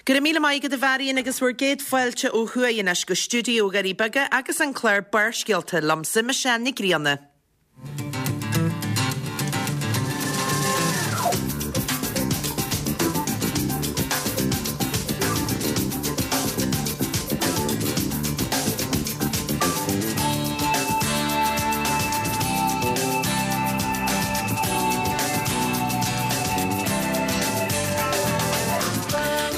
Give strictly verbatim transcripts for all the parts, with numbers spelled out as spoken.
Go raibh míle maith agat a Mharion agus bhur gcéad fáilte ó thuaidh anois go stiúideo Dhoirí Beaga agus an clár Barrscéalta liomsa Michelle Nic Grianna.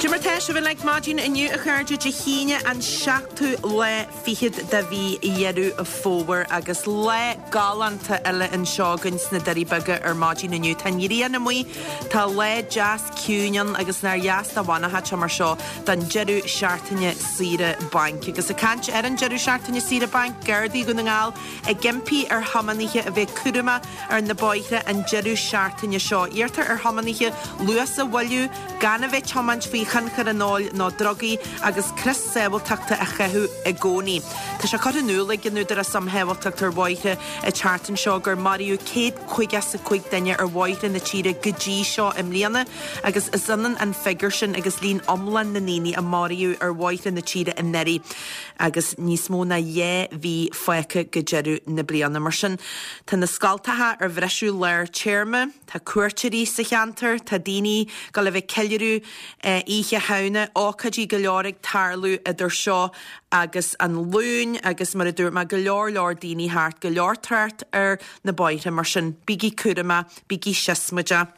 Cad é mar tá sibh uilig maidin inniu a chairde Dé hAoine an seachtú lá fichead de mhí Dheireadh Fómhair agus lá galánta eile anseo againn sna Doirí Beaga ar maidin inniu. Tá an ghrian amuigh, tá lá deas ciúin ann agus nár dheas dá bhfanfadh sé mar seo don deireadh seachtaine saoire bainc. Agus ag caint ar an deireadh seachtaine saoire bainc, Gardaí Dhún na nGall ag impí ar thiománaithe a bheith cúramach ar na bóithre an deireadh seachtaine seo. Iarrtar ar thiománaithe luas a mhoilliú, gan a bheith ag tiomáint faoi thionchar an óil nó drugaí agus crios sábháilteachta a chaitheamh i gcónaí. Tá sé curtha in iúl ag an Údarás um Shábháilteacht ar Bhóithre an tseachtain seo gur maraíodh céad caoga is a cúig duine ar bhóithre na tíre go dtí seo i mbliana agus is ionann an figiúr sin agus líon iomlán na ndaoine a maraíodh ar bhóithre na tíre anuraidh agus níos mó ná dhá mhí fágtha go deireadh na bliana. Mar sin tá na scoltacha ar bhriseadh lár téarma, tá cuairteoirí sa cheantar, tá daoine ag dul a bheith ag ceiliúradh Oíche Shamhna, ócáidí go leor ag tarlú idir seo agus an Luan agus mar a dúirt mé go leor leor daoine thart, go leor trácht ar na bóithre mar sin bígí cúramach, bígí siosmaideach.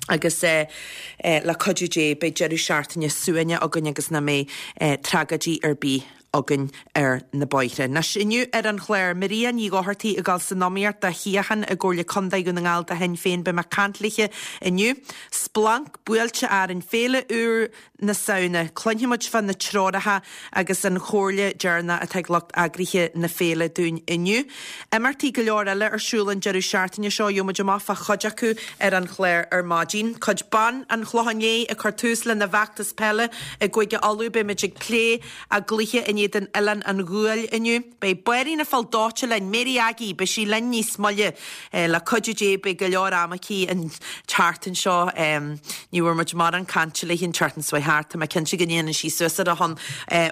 Agus le cuidiú Dé beidh deireadh seachtaine suaimhneach againn agus nach mbeidh tragóidí ar bith againn ar na bóithre. Anois inniu ar an chlár, Maria Ní Dhochartaigh ag dul san iomaíocht do shuíochán i gComhairle Contae Dhún na nGall do Shinn Féin. Beidh mé ag caint léithe inniu. Splanc buailte orainn, Féile úr na Samhna. Cluinfidh muid fá na treoracha agus an chomhairle deireanach atá ag lucht eagraithe na féile dúinn inniu. Imeachtaí go leor eile ar siúl an deireadh seachtaine seo, gheobhaidh muid amach fá chuid acu ar an chlár ar maidin. Cuid ban an Chlocháin Léith ag cur tús lena bhfeachtas peile i gCúige Uladh. Beidh muid ag plé a gcluiche in éadan Oileán an Ghuail inniu. Beidh Báirín an Phoill Dóite linn, Mary Aggie, beidh sí linn níos moille. Le cuidiú Dé beidh go leor ama aici an tseachtain seo. Ní bhfuair muid mórán cainte léi an tseachtain seo thart. Tá mé cinnte go ndéanann sí suas ar a shon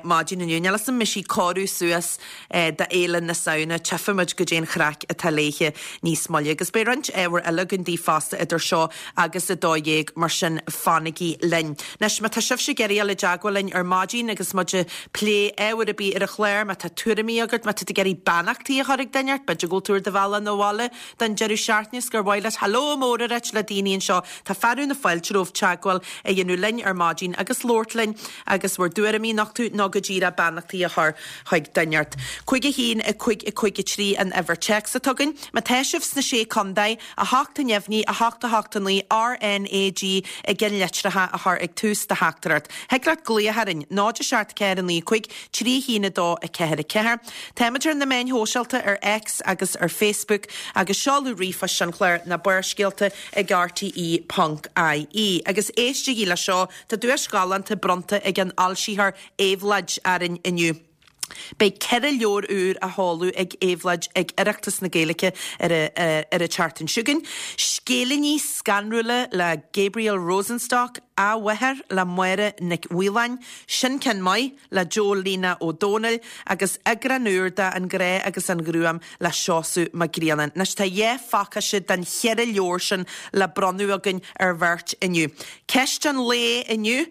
maidin inniu. Níl 'fhios a'm an mbeidh sí ag cóiriú suas do Fhéile na Samhna. Tchífidh muid goidé an chraic atá léithe níos moille. Agus beidh roinnt ábhar eile againn daoibh fosta idir seo agus a dó dhéag, mar sin fanaigí linn. Anois, má tá sibhse ag iarraidh dul i dteagmháil linn ar maidin agus muid ag plé ábhar ar bith ar an chlár, má tá tuairimí agat, má tá tú ag iarraidh beannachtaí a chur ag duine ort, b'fhéidir go bhfuil tú ar do bhealach 'na bhaile don deireadh seachtaine is gur mhaith leat hello mór a ráit le daoine anseo, tá fearadh na fáilte romhaibh teagmháil a dhéanamh linn ar maidin agus labhairt linn agus bhur dtuairimí a nochtadh nó go díreach beannachtaí a chur chuig duine ort. Cúig a haon, a cúig, a cúig a trí an uimhir téacs atá againn. Má tá sibh sna Sé Contae, a hocht a neamhní, a hocht a hocht a naoi, R N A G i gceannlitreacha a chur ag tús do theachtaireacht. Thig leat glaoch orainn, náid a seacht ceathair a naoi cúig, trí a haon a dó a ceathair a ceathair. Táimid ar na meáin shóisialta ar X agus ar Facebook agus seoladh ríomhphoist an chláir ná Barrscéalta ag rte ponc ie. Agus éistigí le seo, tá duais ghalánta bronnta ag an fhoilsitheoir Éabhlóid orainn inniu. Beidh ceithre leabhar úr á sheoladh ag Éabhlóid ag Oireachtas na Gaeilge ar ar an tseachtain seo chugainn. Scéilíní Scanrúla le Gabriel Rosenstock, Athmháthair le Máire Nic Mhaoláin, Sin Ceann Maith le Joe Lena Ó Dónaill agus eagrán úr de An Grá agus an Ghruaim le Seosamh Mac Grianna. Anois tá dhá phacáiste den cheithre leabhar sin le bronnadh againn ar bheirt inniu. Ceist an lae inniu,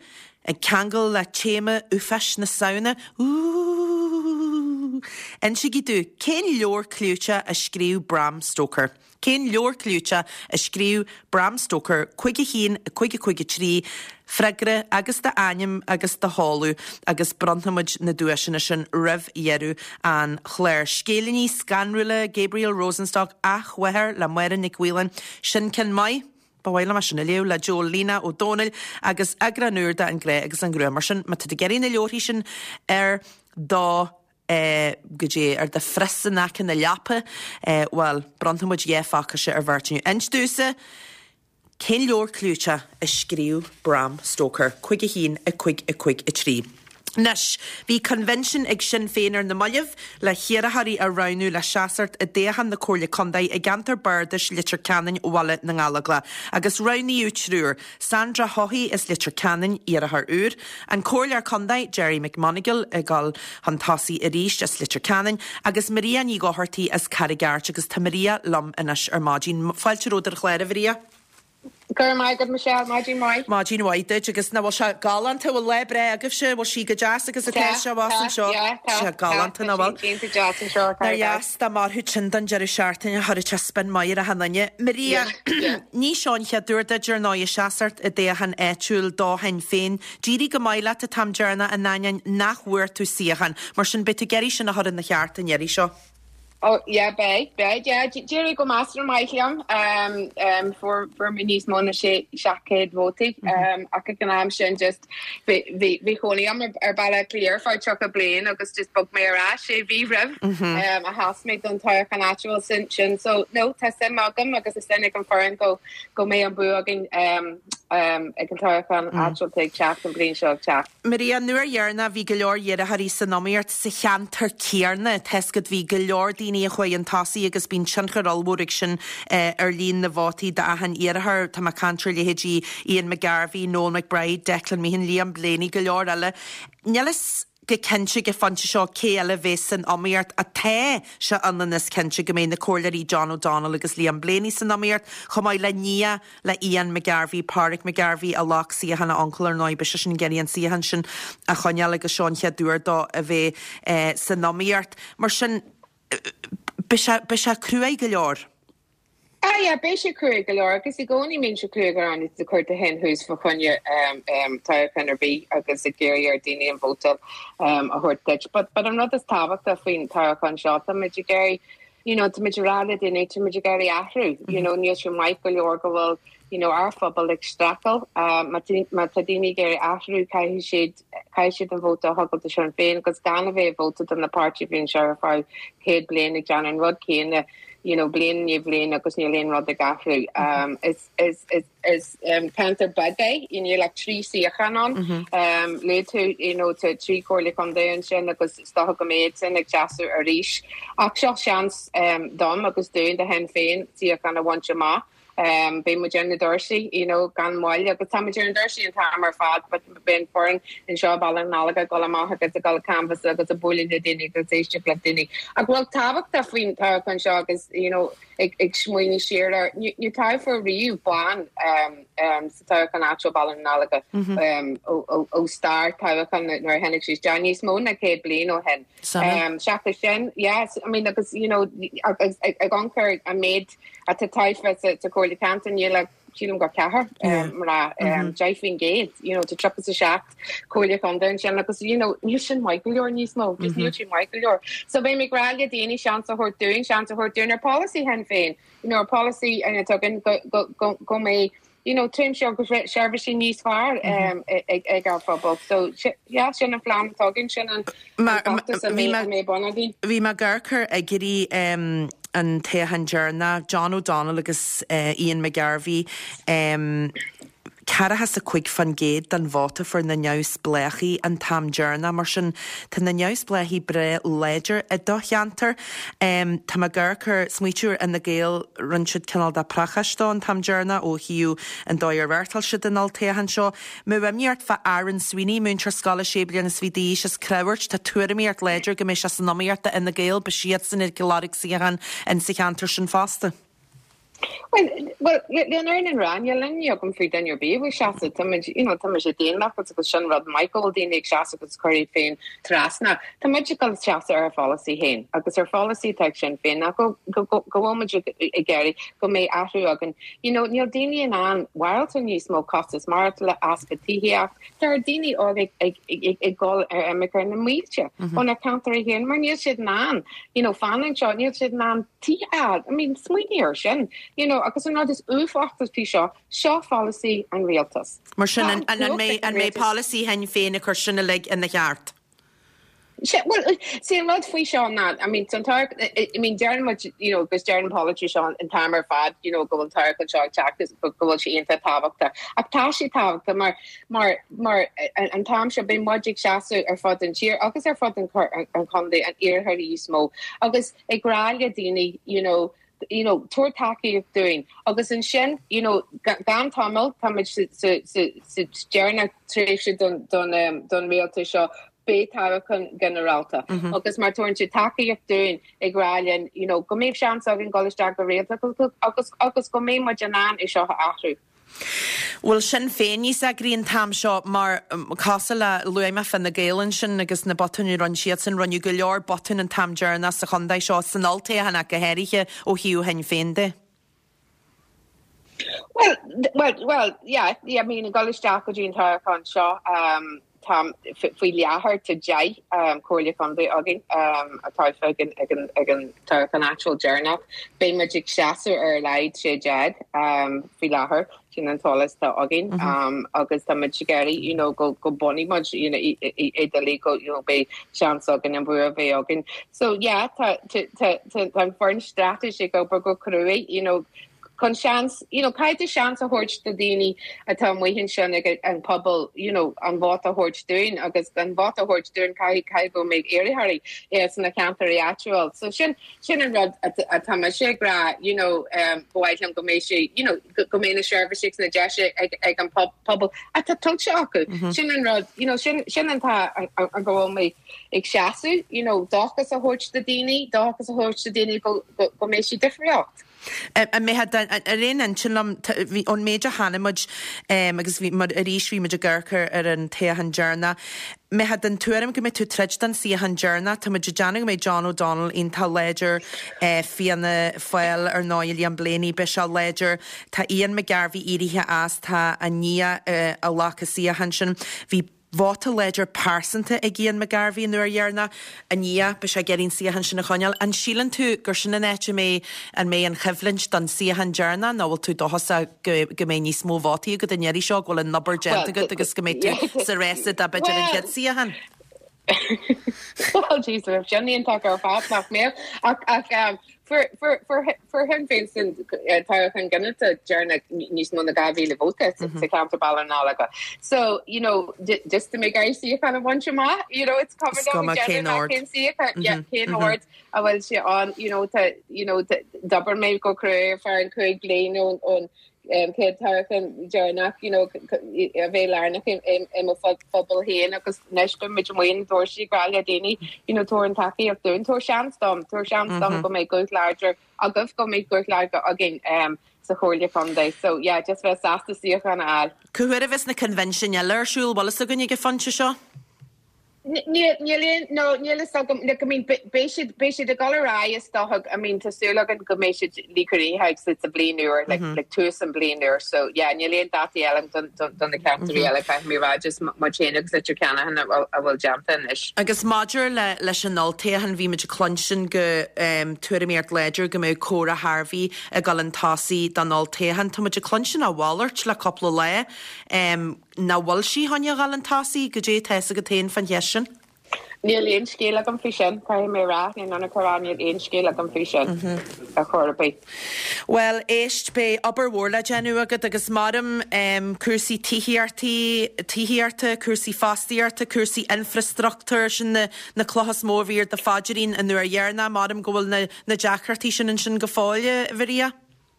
ag ceangal le téama uafáis na Samhna, Úúúúúúúú! Insígí domh, cén leabhar clúiteach a scríobh Bram Stoker? Cén leabhar clúiteach a scríobh Bram Stoker? Cúig a haon, a cúig a cúig a trí, freagra agus d'ainm agus do sheoladh agus bronnfaimid na duaiseanna sin roimh dheireadh an chláir. Scéilíní scanrúla Gabriel Rosenstock, Athmháthair le Máire Nic Mhaoláin, Sin Ceann Maith? Ba mhaith liom é sin a léamh le Joe Lena Ó Dónaill agus eagrán úr de An Grá agus an Ghruaim. Mar sin, má tá tú ag iarraidh na leabharthaí sin ar do eh, goidé, ar do phrios in aice na leapa, eh, bhuel, bronnfaidh muid dhá phacáiste ar bheirt inniu. Inis domhsa, cén leabhar clúiteach a scríobh Bram Stoker? Cúig a haon, a cúig, a cúig, a trí. Anois, bhí convention ag Sinn Féin ar na mallaibh le hiarrthóirí a roghnú le seasamh i dtoghchán na Comhairle Contae i gceantar Bardais Leitir Ceanainn Bhaile na nGallóglach, agus roghnaíodh triúr, Sandra Haughey as Leitir Ceanainn, iarrthóir úr, an Comhairleoir Contae Gerry McMonagle ag dul chun tosaigh arís as Leitir Ceanainn, agus Maria Ní Dhochartaigh as Carraig Airt agus tá Maria liom anois ar maidin. Fáilte romhat ar an chlár, a Mharia. Go raibh maith agat Michelle, maidin mhaith. Maidin mhaith duit agus nach bhfuil sé galánta bhfuil lá breá agaibhse bhfuil sí go deas agus atá sé abhus anseo sé galánta nach bhfuil. Nár dheas dá mairfeadh sin don deireadh seachtaine chuirfeadh sé spion maith ar achan duine. Maria, ní seo an chéad uair duit ar ndóigh seasamh i dtoghchán áitiúil do Shinn Féin. D'éirigh go maith leat an t-am deireanach in ainneoin nach bhfuair tú suíochán, mar sin beidh tú ag iarraidh sin a chur ina cheart an iarraidh seo. Oh yeah beidh beidh yeah d'éirigh go measartha maith liom um, um, fuair fuair mé níos mó ná sé seacht céad vótaí um, ach ag an am sin just bhí bhí bhí cónaí orm ar ar Baile Átha Cliath ar feadh tríocha bliain agus just bhog mé ar ais sé mhí roimh um, a sheas mé don toghchán áitiúil sin sin so no tá suim agam agus is ag an foireann go go mbeidh an bua againn um, um, ag an toghchán áitiúil ag teacht an bliain seo ag teacht. Maria nuair dheireanach bhí go leor iarrthóirí san iomaíocht sa cheantar céanna tá's agat bhí go leor daoine a chuaigh chun tosaigh agus bíonn tionchar ollmhór ag sin eh, ar líon na vótaí d'achan iarrthóir Tá mé ag caint ar leithéidí Ian McGarvey, Noel McBride, Declan Meehan, Liam Blaney go leor eile. Níl a fhios go cinnte ag an phointe seo cé eile bheas san iomaíocht atá sé ionann is cinnte go mbeidh na comhairleoirí John O'Donnell agus Liam Blaney san iomaíocht chomh maith le nia le Ian McGarvey, Pádraig McGarvey a ghlac suíochán a uncail ar ndóigh beidh sé sin ag iarraidh an suíochán sin a choinneáil agus seo an chéad uair dó a bheith eh, san iomaíocht. Mar sin beidh sé cruaidh go leor. Ah yeah, beidh sé cruaidh go leor agus i gcónaí bíonn sé cruaidh go leor de chuir de hen thuas fa choinne um, um, toghchán ar bith agus ag iarraidh ar daoine an vóta um, a thabhairt duit. But, but an rud is tábhachtaí faoin toghchán seo tá muid ag iarraidh you know, tá muid ag rá le daoine tá muid ag iarraidh athrú, you know, níl sé maith go leor go bhfuil you know, ár phobal ag streachailt uh, má tá daoine ag iarraidh athrú caithfidh siad caithfidh siad an vóta a thabhairt do Sinn Féin agus gan a bheith vóta don na páirtí bhíonn sé ar feadh céad bliain ag déanamh an rud céanna you know, bliain i bhliain agus níl aon rud ag athrú. Um, is is is is um, ceantar beag é níl ach trí suíochán ann um, le tú you know, tá trí chomhairle contae ansin agus is dócha go mbeidh sin ag seasamh arís. Ach seo seans um, dom agus dúinn do Shinn Féin suíochán a bhaint amach. Um, Beidh muid ar na doirse you know, gan mhoill agus tá muid ar an doirse an t-am ar fad, but beidh foireann anseo Baile na nGallóglach dul amach agus ag dul canvass agus ag bualadh le daoine agus éisteacht le daoine. Ach bhfuil tábhachtach faoin toghchán seo agus you know, ag, ag smaoineamh siar ar níor toghadh riamh bean um, um, sa toghchán áitiúil Baile na nGallóglach um, ó, ó, ó stair toghchán nuair a tháinig sí níos mó ná céad bliain ó shin. Um, Seachas sin, yes, I mean, agus you know, agus ag ag amharc an méid atá tofa sa sa Chomhairle Ceantair níl ach sílim gur ceathrar mar deich faoin gcéad you know, tá tríocha a seacht comhairle contae ansin agus you know, níl sin maith go leor níos mó, just níl sin maith go leor. So beidh mé ag rá le daoine seans a thabhairt dúinn seans a thabhairt dúinn ar policy Shinn Féin, you know, ar policy an tugann go go go go mbeidh you know, tréimhse agus seirbhísí níos fearr um, ag ag ár phobal. So yeah, sin an phlean tugann sin an mé bonagaí. Bhí mé ag amharc ar fhigiúirí um, an toghchán deireanach John O'Donnell agus uh, Ian McGarvey um, ceathracha is a cúig faoin gcéad den vóta fuair na neamhspleáchaigh an t-am deireanach mar sin tá na neamhspleáchaigh breá láidir i do cheantar. Um, tá mé ag amharc ar smaoitiú ar Fhine Gael rinne siad cineál de phracháiste an t-am deireanach ó thaobh an dóigh ar reáchtáil siad an toghchán seo. Má imníocht fa Aaron Sweeney múinteoir scoile sé bliana is fiche d'aois as Creabhairt tá tuairimíocht láidir go mbeidh sé san iomaíocht Fhine Gael beidh siad san ag lorg suíochán in sa cheantar sin fosta. Well, well, le ar an rá le agam faoi duine ar bith seasamh tá you know, tá sé daonlathach agus sin rud Michael daoine ag seasamh agus chuir féin trasna. Tá muid ag seasamh ar pholasaí féin agus ar pholasaí atá Sinn Féin ná go bhfuil ag iarraidh go mbeidh athrú againn. You know, níl daoine in ann maireachtáil níos mó costas maireachtála easpa tithíochta, Tá daoine óg ag ag dul ar imirce na mílte óna ceantar féin mar níl siad in ann you know, fanúint anseo níl siad in ann tí I mean, smaoinigh air sin. You know, agus an rud is uafásaí faoi seo seo pholasaí an rialtas. Mar sin an mbeidh an mbeidh polasaí Shinn Féin a chur sin uilig ina cheart. Well, see an rud faoi seo ná I mean an I mean deireann muid you know agus deireann politicians an t-am ar fad you know go bhfuil toghchán seo ag teacht go bhfuil sé iontach tábhachtach ach tá sé tábhachtach mar mar mar an t-am seo beidh muid ag seasamh ar fud an tír agus ar fud an an chontae an iarthar níos mó agus ag rá le daoine you know you know tabhair tacaíocht dúinn agus ansin you know gan tamall tá sa deireadh tréimhse don don um, don rialtas seo beidh toghchán ginearálta mm -hmm. agus má thugann tú tacaíocht dúinn ag rá linn you know go mbeidh seans againn dul isteach go rialtas agus agus go mbeidh muid in ann é seo a athrú. Bhfuil Sinn Féin níos eagraí an t-am seo mar cosúil le luaigh mé Fine Gael ansin agus na botúin a rinne siadsan rinneadh go leor botún an t-am deireanach sa chontae seo san olltoghchán ach go háirithe ó thaobh Shinn Féin de. Well, well, well, yeah, yeah, I mean, dul isteach go dtí an toghchán seo um, tá faoi láthair tá deich um, comhairle contae againn um, atá ag an ag an ag an toghchán áitiúil deireanach. Beidh muid ag seasamh ar a laghad sé déag um, faoi láthair sin an t-eolas atá againn mm -hmm. um, agus tá muid ag iarraidh you know, go go mbunóidh muid you know, i go you know, beidh seans againn an bua bheith againn. So yeah, tá an foireann straitéis ag obair go cruaidh, you know, chun seans you know caithfidh seans a thabhairt do daoine atá amuigh ansin ag an pobal you know an vóta a thabhairt dúinn agus an vóta a thabhairt dúinn caithfidh caithfidh go mbeidh iarrthóirí é sna ceantair áitiúil so sin sin an rud atá mé ag rá you know um bhhaim go mbeidh sé you know go mbeidh na seirbhísí na deise ag ag an pobal atá tuillte acu mm -hmm. sin an rud you know sin sin an fáth an go bhfuil mé ag seasamh you know dóchas a thabhairt do daoine dóchas a thabhairt do daoine go go, go mbeidh sé difríocht. An mbeidh ar aon intinn liom ón méid a chonaic muid agus bhí mar arís bhí muid ag amharc ar an toghchán deireanach. Mbeifeá den tuairim go mbeidh tú troid don suíochán deireanach, Tá muid ag déanamh go mbeidh John O'Donnell iontach láidir Fianna Fáil ar ndóigh Liam Blaney beidh sé láidir Tá Ian McGarvey éirithe as tá a nia a ghlac an suíochán sin. Bhí vóta láidir pearsanta ag Ian McGarvey an uair dheireanach a nia beidh sé ag iarraidh an suíochán sin a choinneáil. An síleann tú gur sin an áit a mbeidh an mbeidh an choimhlint don suíochán deireanach nó bhfuil tú dóchasach go go mbeidh níos mó vótaí agat an iarraidh seo go bhfuil an obair déanta agat agus go mbeidh tú sa réasa do b'fhéidir an chéad suíochán. Well geez, sin iontach ar fad nach mbeadh ach ach um, fuair Sinn Féin san toghchán ginearálta deireanach níos mó ná dhá mhíle vóta sa ceantar Baile na Lorgan. So you know just to make suíochán a bhaint amach you know it's covered cén cén ord a bhfuil sé an you know tá you know d'oibir mé go crua ar an cúig bliain ón ón um, céad toghchán deireanach you know a bheith lárnach i mo phobal féin agus anois beidh muid amuigh dúirt ag rá le daoine you know tabhair an tacaíocht dúinn tabhair seans dom tabhair seans dom go mbeidh guth láidir agaibh go mbeidh guth láidir againn um, sa chomhairle contae so yeah just bheith sásta suíochán a fháil. Cá huair a bheas na convention eile ar siúl bhfuil fhios againn ag an phointe seo? Níl no níl fhios agam like I mean beidh siad beidh siad ag dul ar aghaidh is dócha I mean tá súil againn go mbeidh siad líchoirithe sa sa bliain úr like like tús an bliain úr so yeah níl aon dátaí eile don don don na ceantair eile caithfidh mé rá just mar sin agus Leitir Ceanainn a bhfuil a bhfuil déanta anois. Agus maidir le leis an olltoghchán bhí muid ag cluinstin go um, tuairimíocht láidir go mbeidh Cora Harvey ag dul chun tosaigh don olltoghchán Tá muid ag cluinstin a mhalairt le cúpla lá um, nach bhfuil sí chun a dhul chun tosaigh goidé atá agat féin faoin cheist sin? Níl aon scéal agam faoi sin caithfidh mé rá ní an chorá níl aon scéal agam faoi sin a chor ar bith. Well éist beidh obair mhór le déanamh agat agus maram um, cúrsaí tithíochta tithíochta, cúrsaí fostaíochta, cúrsaí infrastruchtúir sin na, na clocha is mó a bhí ar do phaidrín an uair dheireanach, maram go bhfuil na, na deacrachtaí sin ansin go fóill Mharia.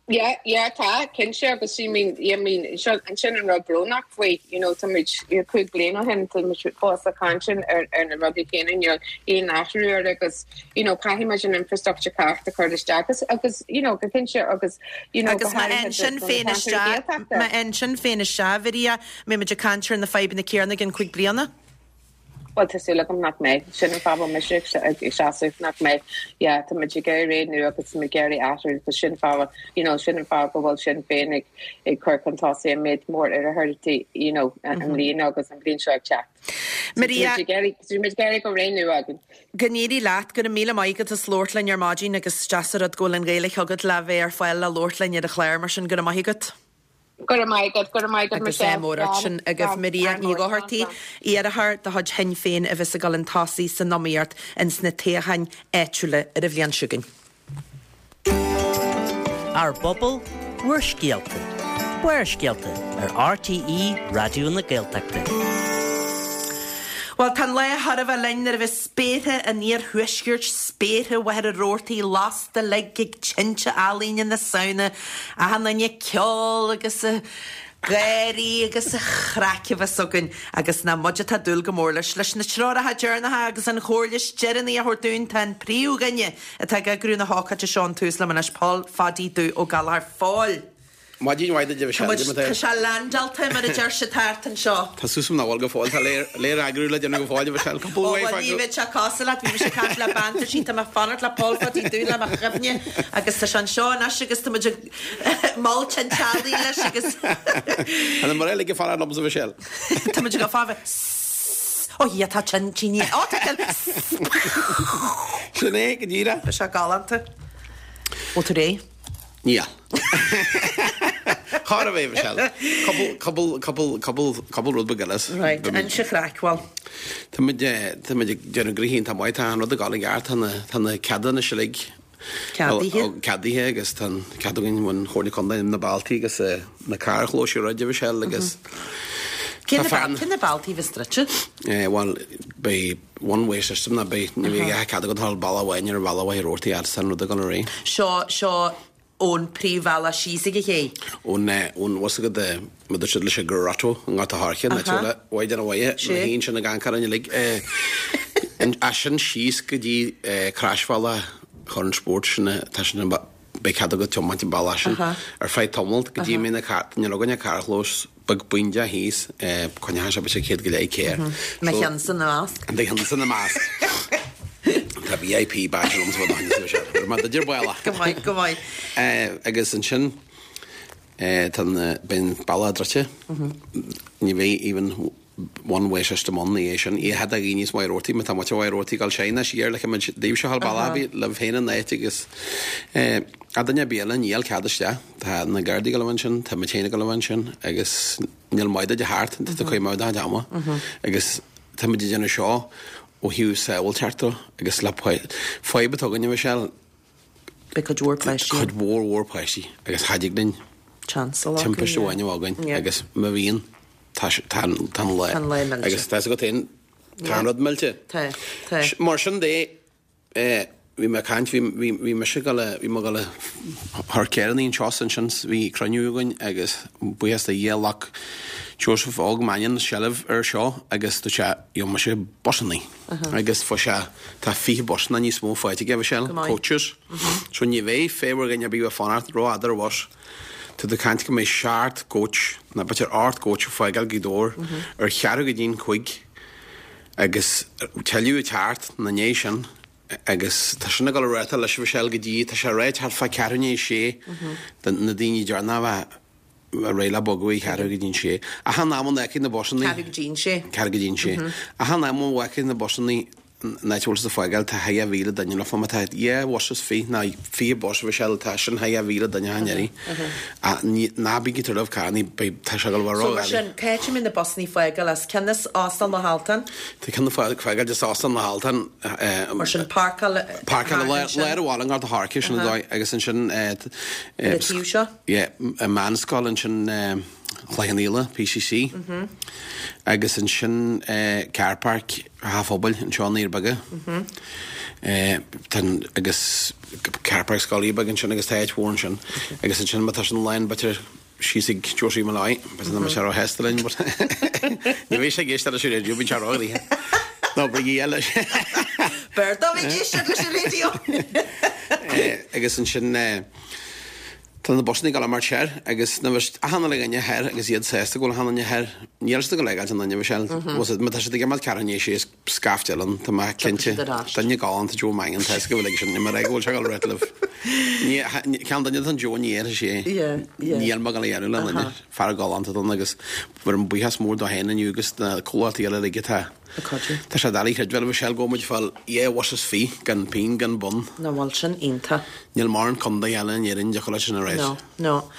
Yeah, yeah, tá cinnte agus I mean I mean sin sin an rud brónach faoi you know tá muid cúig bliana ó shin tá muid fós ag caint ar ar na rudaí céanna níl aon athrú ar agus you know caithfidh muid an infrastructure ceart a chur isteach agus agus you know go cinnte agus you know Agus má an Sinn Féin isteach má an Sinn Féin isteach Mharia mbeidh muid ag caint ar na fadhbanna céanna i gceann cúig bliana. Well tá súil agam nach mbeidh sin an fáth mise ag seasamh nach mbeidh yeah tá muid ag iarraidh ré nua agus muid ag iarraidh athrú tá sin fáth you know sin an fáth go bhfuil Sinn Féin ag ag cur chun tosaigh an méid mór iarrthóirí you know an mbliana agus an bliain seo ag teacht. Maria muid ag iarraidh go ré nua againn. Go n-éirí leat go raibh míle maith agat as labhairt linn ar maidin agus deas an rud go bhfuil an Ghaeilge agat le bheith ar fáil le labhairt linn ar an chlár mar sin go raibh maith agat. Go raibh maith agat, go raibh maith agat Agus é mór sin agaibh Maria Ní Dhochartaigh, iarrthóir de chuid Shinn Féin a bheas ag dul chun tosaigh san iomaíocht ins na toghcháin áitiúla ar an bhliain seo chugainn. Ár bpobal, bhur scéalta. Barrscéalta ar R T E Raidió na Gaeltachta. Well, tá lá thar a bheith linn nuair a bheas spéartha an iarthuaiscirt, spéartha Mhachaire Rabhartaigh lasta uilig ag tinte ealaíne na Samhna, achan duine ag ceol agus ag gáirí agus an chraic a bheas againn agus nach muid atá dúil go mór leis leis na treoracha deireanacha agus an chomhairle is deireanaí a thabhairt dúinn tá an príomhdhuine atá ag eagrú na hócáide seo an tUasal anois Pól Phadaí Dubh Ó Gallchóir. Phóil. Maidin mhaith duit. Tá sé leaindeáilte mar a deir siad thart anseo. Tá sus na bhil go fóill, tá léir eagrú le déanamh go fóill bh se Ní bheidh sé cosúil leat, bhí mise ag caint le bean sí tá mé fanacht le Pól Phadaí Dubh le mo chuimhne agus tá sé anseo anois agus tá muid ag mol tinteálaí leis agus An mar eile go fara lom bh se. Tá muid go fáh Ó hi tá tin tíní Ó tá Sin é go díreach. Tá sé galánta. Bhfuil tú réidh? Níl. Char a bheith se. Cúpla rud beag eile. Right, inis an chraic bhuel. Tá tá déanamh gríhín tá maith tá an rud a gáil ceart tá na ceadanna uilig Ceadaithe? ceadaithe agus tá cead againn ón Chomhairle Contae na bealtaí agus na carrchlóis rud sé agus Cén na bealtaí bheas druidte? Well beidh one way system na beidh ní bheidh cead agat dul bealach amháin ar bhealach Mhachaire Rabhartaigh agus an rud a gan ré. Seo seo ón príomhbhealach síos ag a ché. ón ón was go de ma siad leis go rato an gata háche na bhaid an bhaile Sé. híon sin na gancar an lig a sin síos go dtí crasbhealach chun spórt sin tá sin beidh cead agat tiomáint an bealach sin Aha. ar feadh tamaill go dtí mé na ní againn carrchlós beag buinte thíos coinne se sé céad go leith céir. Me cheann san na measc. De cheann san na measc. Tá V I P badge sé mar idir buile. Go maith, go maith. Agus ansin beidh bealach druidte ní bheidh even one way system ann é sin i had a níos mó rótaí tá mu rótaí gal séna siar le daobh se ballabí le féna néit agus a duine béle níl cead isteach tá na Gardaí go sin tá me chéine go sin agus níl maide de hart tá chuim ama agus tá muid déanamh seo ó thaobh sábháilteachta agus le fadhb atá againn sé Beidh cuid mhór páistí. Cuid mhór mhór páistí agus cha dtig linn Chance timpiste amháin againn agus má bhíonn tá tá le Tá le millte. Agus tá go tain tá rud millte. Tá, tá. Mar sin de bhí me caint bhí me go bhí me go thar céan seo sin bhí cruinniú againn agus buíochas le Dia ghlac Joseph Óg Mannion seilbh ar seo agus tú sé jo me sé busanna agus fá sé tá fiche busanna níos mó fáilte ge sé Go maith. Coaches. So ní bheidh féhar ganne bí fanart ro adar was. Tá de caint go mbeidh seacht coach na b'fhéidir ocht coach fágáil Ghaoth Dobhair ar cheathrú go dtí'n cúig agus tuilleadh teacht na né sin agus tá sinna go réta leis bh sel go dtí tá sé réit fa cearúné sé na daoine dearna bheith réile boguí ceathrú go dtí'n sé. A han am an na busanna Ceathrú go dtí'n sé. Ceathrú go dtí'n sé. A han am bhaice na busanna náúil sa fágáil tá haia mhíle duine le fá tá é was fi ná fi bos bh se tá sin haia mhíle duine hanéirí. Ná bí tar caní tá se go So mar sin céim in na busanna fágáil as ceannas Óstán na hAltan, Tá cena fágáil de sásan na haltan. Mar sin parkáil Parkáil léir bhála gar harce sin dóigh agus ansin Na taobh seo? A meánscoil ansin Chloich P C C agus ansin car park Hafobal an seo níor bege agus car park Scoil Beag ansin agus táid mhór sin agus ansin tá sin line b'fhéidir síos ag Josie Malloy bes na sé hestalin. Ní bhí sé géiste leis an raidió bín sé ráí. Ná brí eile. Berta bhí géiste leis an raidió. Agus ansin tá na busanna ag mar séir agus na a le ganne her agus iad sésta go hanna her nílsta go legáil an se tá sé go cean sé scaifte eile ann, tá mé cinnte. siad ar ais. Duine galánta Joe Mangan, tá 'fhios go bhfuil aige sin, ní mar go bhfuil sé ag dul rith libh. Ní, ceann duine den Joe ní fhéadfaidh sé. Yeah, yeah. Níl mé ag dul a dhéanamh le duine. Fear galánta ann agus bhfuair buíochas mór dó féin inniu agus na comhlachtaí eile uilig atá. Ag cuidiú. Tá sé doiligh a chreidbheáil a Mhichelle go bhfuil muid ag fáil dhá bhus is fiche gan pingin gan bonn. Nach bhfuil sin iontach. Níl mórán contae eile in Éirinn dtiocfadh leis sin a ráit. No, no.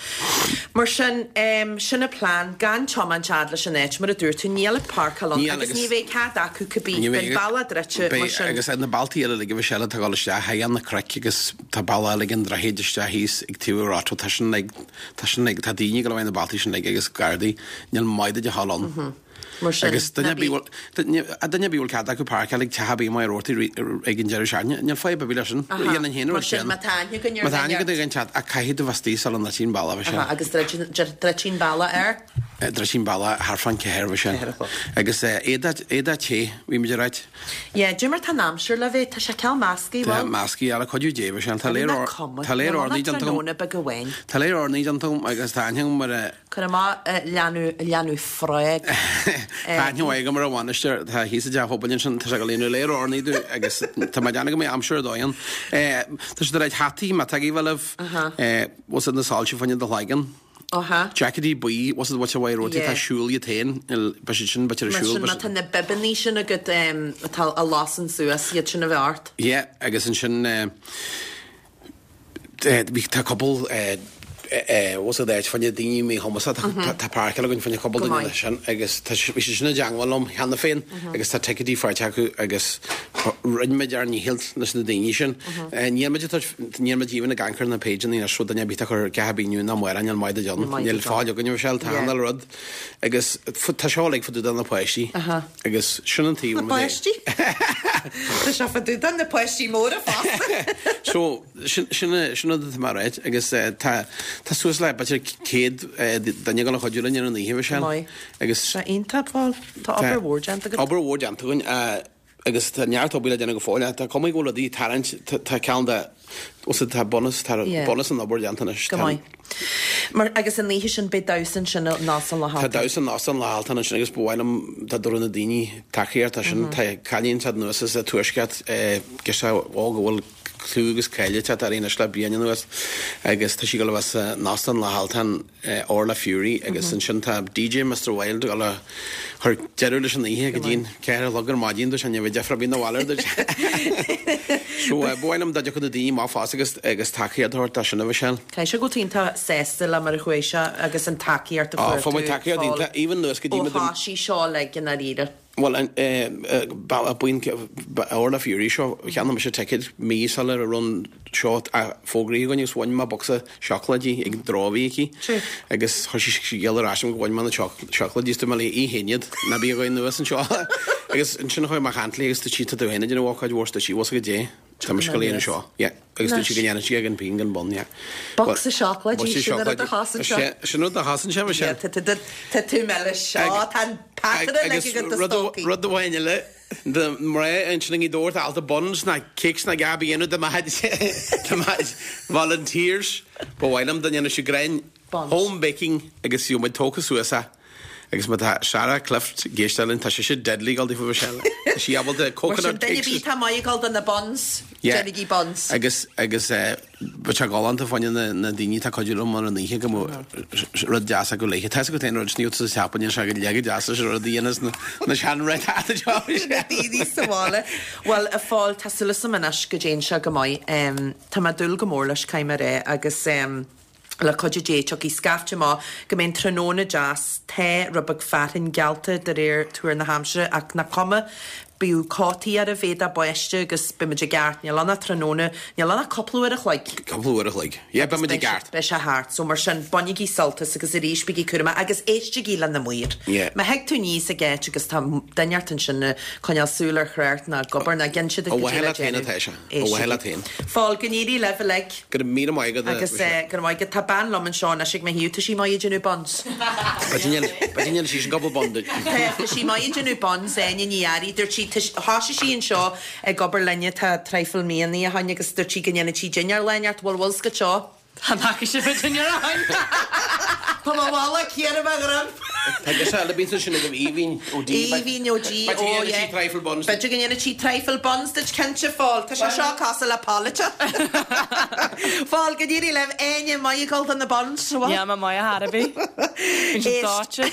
Mar sin, em, sin an plean, gan tiomáint fhad leis an áit, mar a dúirt tú, níl ach páirceáil ann Níl, agus agus ní bheidh cead acu cibé, Ní beidh bheidh, bealach druidte, mar beidh, sin. agus na bealtaí eile uilig a Mhichelle atá ag dul isteach, thigh na cnoic agus tá bealach eile ag an droichead isteach thíos ag taobh an Rotto, tá sin ag, tá sin ag, tá daoine ag dul a bheith na bealtaí sin uilig agus gardaí, níl maide de dhul ann. Mar sin, Agus duine ná ar bith bí- bhfuil- duine duine ar bith bhfuil cead acu páirceáil ag teach ar bith i Maigh Rothie ag an deireadh seachtaine, níl fadhb ar bith leis sin. Dhéanann féin Mar rud sin, sin. má tá aithne againn ar Má tá aithne dhuine agat ag an teach, ach caithfidh tú bheith istigh sula ndruidfidh an bealach, bhí sé. Aha, agus druidfidh an bealach air? Druidfidh an bealach thart fán ceathair, bhí sé. Ceathair a chlog. Agus éadaí éadaí te, bhí muid ag ráit. Yeah, cad é mar tá an aimsir le bheith, tá sé cineál measctha, Tá bhfuil? measctha, le cuidiú Dé, bhí sé. Tá léir Tá cuma. tá léir Níl ornaí ann ach déanta agam. tráthnóna beag amháin. Tá léir ornaí déanta agam agus tá aithne agam mar a Cuir amach leanadh leanadh frog. Tá aithne mhaith agam mar a bhainisteoir, tá thíos i dteach pobail ansin, tá sé ag líonadh léir ornaí domh agus tá mé ag déanamh go mbeidh aimsir ar dóigh ann. Tá siad ag ráit hataí, má tá agaibh libh, bhfuil siad na soilse fá choinne do chloigeann. Aha. Jacketí buí, bhfuil siad bhfuil sé rotí, Yeah. tá siúl iad féin, beidh siad sin b'fhéidir ar Mar siúl. sin beidh má tá na bibeanna sin agat atá a lasann suas, iad sin a bheith ort. Yeah, agus ansin bhí tá cúpla was é fá choinne daoine míchumasacha tá páirceáil againn fá choinne cúpla Go duine maith. sin agus tá bhí sé sin i dteagmháil liom cheana féin agus tá ticéidí faighte acu agus rinne muid ár ndícheall leis na daoine sin. Níl muid níl muid even ag amharc ar na pageanna anois rud duine ar bith a chur ceatha bíú ná amárach níl maith Níl maith Níl de fáil againn sé tá Yeah. an rud agus tá seo ag fadú na páistí agus sin an taobh Na páistí? Tá sé fadú na páistí móra fosta. So sin sin sin rud atá mar ráit agus eh, tá tá suas le b'fhéidir céad eh, duine ag dul a chuidiú linn ar an oíche sin Maith. agus Sé iontach Paul. Tá obair mhór déanta agat. Obair mhór déanta againn eh, agus tá neart obair le déanamh go fóill tá cuma go bhfuil rudaí ag tarraingt tá tá ceann de os tá bunús tá Yeah. bunús an obair déanta anois. Go Tá- maith. Mar agus an oíche sin beidh damhsa ansin ná san le Tá damhsa ná san le haltan ansin agus ba mhaith liom dá dtabharfadh na daoine tacaíocht sin tá cailín siad anuas sa tuaisceart gus á go bhfuil clú agus cáil uirthi ar aon le bliain anuas agus tá sí go bheith in Óstán na hAltan Orla Fury agus ansin tá DJ Mr Wild go le chur deireadh leis an oíche go dtí'n ceathair a chlog ar maidin do sin bheith deifir bíon na bhhaile So ba mhaith liom dá dtiocfadh na daoine má fás agus agus tacaíocht a thabhairt sin a bheith sin. Caithfidh sé go iontach sásta le mar a chuaigh sé agus an tacaíocht a Á, fuair fá tú, tacaíocht Paul, iontach, even nuas go dtí Ó muid an- thosaigh seo le go ndáiríre. Well buíon Orla Fury seo cheannaigh mise ticket mí sula raibh an seo fógraithe againn agus bhain mé bocsa seacláidí ag drábhí aici True. agus chuir sí scéal ar ais go bhain mé na seacláidí tú me í héad na bí againn nuas anseo agus ansin chuaigh mé ag caint léi agus tú sí tú héine den bhcáid mhór sí was go dé Tá me go léana seo agus tú sí go dhéanamh sí ag an pingin gan bonn. Bocsa seacláidí, sin rud a chasann seo. Sin rud a chasann sé Yeah, sin. Tá tá- tá tú meile seo tá pataire le go do stócaí. Rud amháin eile de mé ansin i dóirt alta buns na cakes na gabi inu de de volunteers ba mhaith liom dá ndéanfadh siad grein Buns. home baking agus bhí muid tógtha suas a agus má tá Sarah Clift ag éisteacht tá sé sé deadly gal fu sé sí ábalta Mar sin coconut duine cakes bí tá maidhgáil do na buns, Yeah. déanaigí buns. agus agus ba te gáanta fáine na na daoine tá cuidiú liom mar an oíche go mbeadh rud deas go léithe. Tá go rud sníú sa seapan se go le deas sé rud dhéanas na na sean re Daoine sa bhaile. Well a Phóil tá súil agam anois go dtéann sé go maith. Um, tá mé dúil go mór leis caithfidh mé rá agus um, le cuidiú Dé tiocfaidh scaifte maith go mbeidh tráthnóna deas tá rud beag fearthainn geallta de réir tuar na haimsire ach nach cuma bíodh cótaí ar a bhéad báistí agus beimid i gceart níl ann ach tráthnóna níl ann ach cúpla uair a chloig. Cúpla uair a chloig. Yeah, beimid i gceart. Beidh sé thart, so mar sin bainigí sult as agus arís bígí cúramach agus éistigí le na maoir. Yeah. Má thig tú níos a geit agus tá duine ansin coinneáil súil ar chréirt ná gobar na gin siad Ó mhaith leat féin atá sé. Ó mhaith leat féin. Fáil go n-éirí libh uilig. Go raibh míle maith agat. Agus eh, go maith go tá bean liom anseo anois ag mo thaobh tá sí maith ag déanamh buns. Ba sí gobal bond. Tá sí maith ag déanamh buns Áine Ní Fhearraigh dúirt sí thosaigh sí anseo ag obair linne tá traidhfil míonna ó shin agus dúirt sí go ndéanann sí dinnéar leart bhfuil bhfuil seo. Tá nach si dinnéar. Tá má bhla céar a gram. Tá girseach eile bíonn sin ag Aoibhinn ó D. Aoibhinn ó G, ó yeah. Trifle buns. B'fhéidir go ndéanfaidh sí trifle buns duit cinnte Phól. Tá sé seo cosúil le polaite. Phól, go n-éirí libh Áine maith ag dul do na buns. Yeah, ma maith a Harabi. Bíonn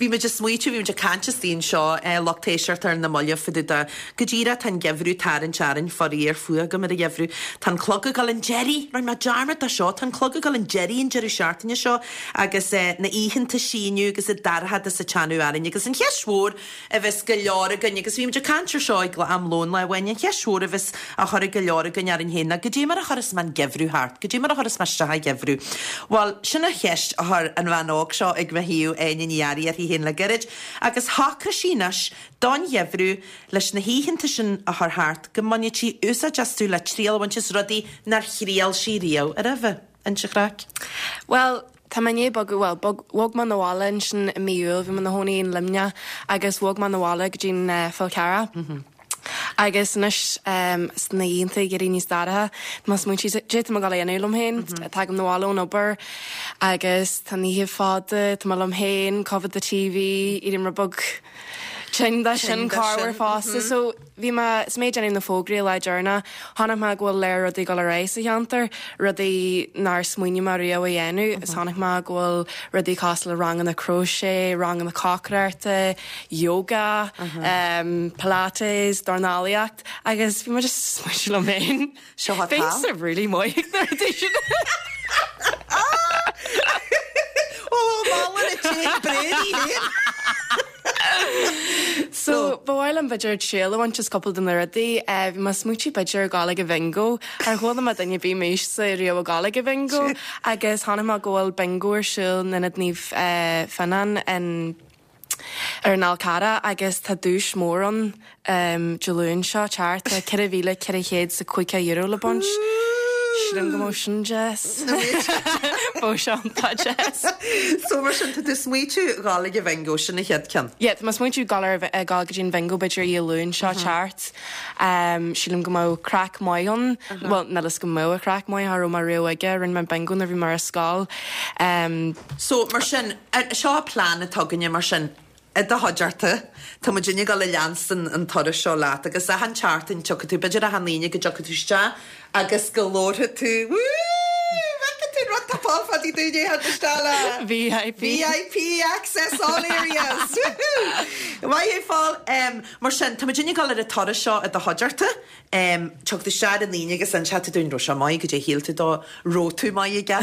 Bhí muid ag smaoitiú, bhí muid ag caint istigh anseo lucht éisteachta ar na mallaibh fá dtaobh de go díreach tá an geimhreadh tarraingt orainn faraor fuath agam ar an gheimhreadh. Tá an clog ag dul chun deiridh, rinne mé dearmad de seo, tá an clog ag dul chun deiridh an deireadh seachtaine seo agus na oícheanta síneadh agus an dorchadas ag teannadh orainn agus an cheist mhór a bheas go leor againn agus bhí muid ag caint ar seo ag am lóin lá amháin, an cheist mhór a bheas á chur ag go leor againn orainn féin ná goidé mar a chuireas mé an geimhreadh thart, goidé mar a chuireas mé isteach an geimhreadh. Bhuel, sin an cheist a chuir an bhean óg seo ag mo thaobh Áine Ní Fhearraigh uirthi féin le gairid agus shocraigh sí anois don gheimhreadh leis na hoícheanta sin a chur thart go mbainfeadh sí úsáid astu le triail a bhaint as rudaí nár thriail sí riamh roimhe. Inis an chraic. Well, Tá mé i ndiaidh bogadh well bog bhog mé 'na bhaile ansin i mí Iúil, bhí mé 'na chónaí in Luimneach agus bhog mé 'na bhaile go dtí an Fál Carrach. Agus anois um, sna oícheanta ag éirí níos dorcha, tá mé ag smaointiú cad é tá mé ag dul a dhéanamh liom féin, Tagaim 'na bhaile ón obair agus tá an oíche fada, tá mé liom féin, coimhéad the TV, éirím rud beag tinn de sin corruair fosta. So bhí mé is mé ag déanamh na fógraí lá deireanach, chonaic mé go bhfuil léir rudaí ag dul ar aghaidh sa cheantar, rudaí nár smaoinigh mé riamh a dhéanamh, is chonaic mé go bhfuil rudaí cosúil le ranganna crochet, ranganna cócaireachta, yoga, um, pilates, dornálaíocht, agus bhí mé just smaointiú liom féin. Seo atá. Bhí really maith ag na rudaí sin. Ó, mála na té bréirí féin. So ba mhaith liom b'fhéidir triail a bhaint as cúpla de na rudaí, bhí mé ag smaointiú b'fhéidir dul ag an bhingo, ar chuala mé duine ar bith m'aois-sa riamh ag dul ag an bhingo, agus chonaic mé go bhfuil bingo ar siúl in Ionad Naomh Fionnán in ar an Fhál Carrach agus tá duais mór ann um, Dé Luain seo teart tá ceithre mhíle ceithre chéad is caoga euro le baint. Sílim go mbeadh sin deas. Bheadh sé iontach deas. So mar sin tá tú smaointiú dul ag an bhingo sin an chéad ceann. Yeah, tá mé smaointiú dul ar ag dul go dtí an bingo b'fhéidir Dé Luain seo teart. Um, sílim go mbeadh craic maith ann, well níl fhios go mbeadh craic maith cha raibh mé riamh aige, rinne mé bingo nuair bhí mé ar scoil. Um, So mar sin seo plean atá againne mar sin i do chuideachta Tá muid ag dul a leanstan an turas seo leat agus achan tseachtain tiocfaidh tú b'fhéidir achan Aoine go dtiocfaidh tú isteach agus go labharfaidh tú tú rud tá fáil fadí dúine isteach le VIP. VIP access all areas. Maith thú Phól um, mar sin tá muid ag dul ar an turas seo i do chuideachta um, tiocfaidh tú isteach an Aoine agus an tú dúinn raibh sé maith goidé shíl tú dó raibh tú maith aige.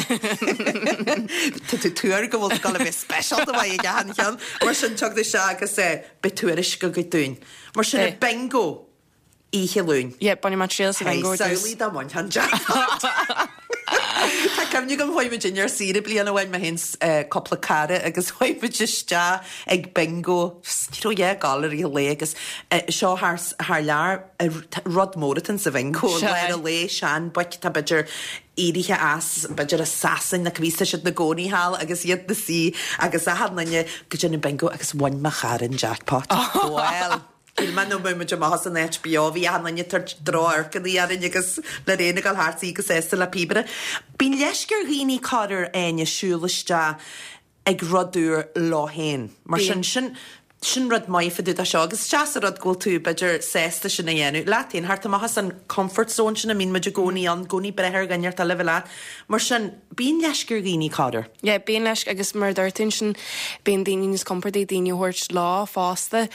Tá tú tuar go bhfuil go bheith speisialta maith aige an cheann mar sin tiocfaidh tú isteach agus eh, beidh tuairisc agat dúinn. Mar sin Beidh. bingo Oíche Luain. Yeah, bainfidh mé triail sa bingo ar dtús. Samhlaigh dá mbainfeá an jackpot. Tá cuimhne agam chuaigh muid ar saoire bliain amháin mé féin cúpla cara agus chuaigh muid isteach ag bingo ní raibh dhá gal ar lae agus seo thar thar lear rud mór atá sa bhingo Sea. lár an lae sean boic tá b'fhéidir éirithe as b'fhéidir i Sasain na bhí siad na gcónaí thall agus iad na suí agus achan duine go déanamh bingo agus bhain mo chara an jackpot. Well. Shíl mé nó muid amach as an áit beo bhí achan duine tar droch-amharcanna orainn agus le réine gal thart agus éasta le píobaire. Bíonn leisce ar dhaoine corruair Áine siúl isteach ag rud úr leo féin. Mar sin sin sin rud maith fá dtaobh de seo, agus deas an rud go bhfuil tú b'fhéidir sásta sin a dhéanamh. Leat féin theacht amach as an comfort zone sin a mbíonn muid i gcónaí ann, gcónaí breith ar dhuine eile bheith leat. Mar sin bíonn leisce ar dhaoine corruair. Yeah, bíonn leisce agus mar dúirt tú sin bíonn daoine níos compordaí daoine a thabhairt leo fosta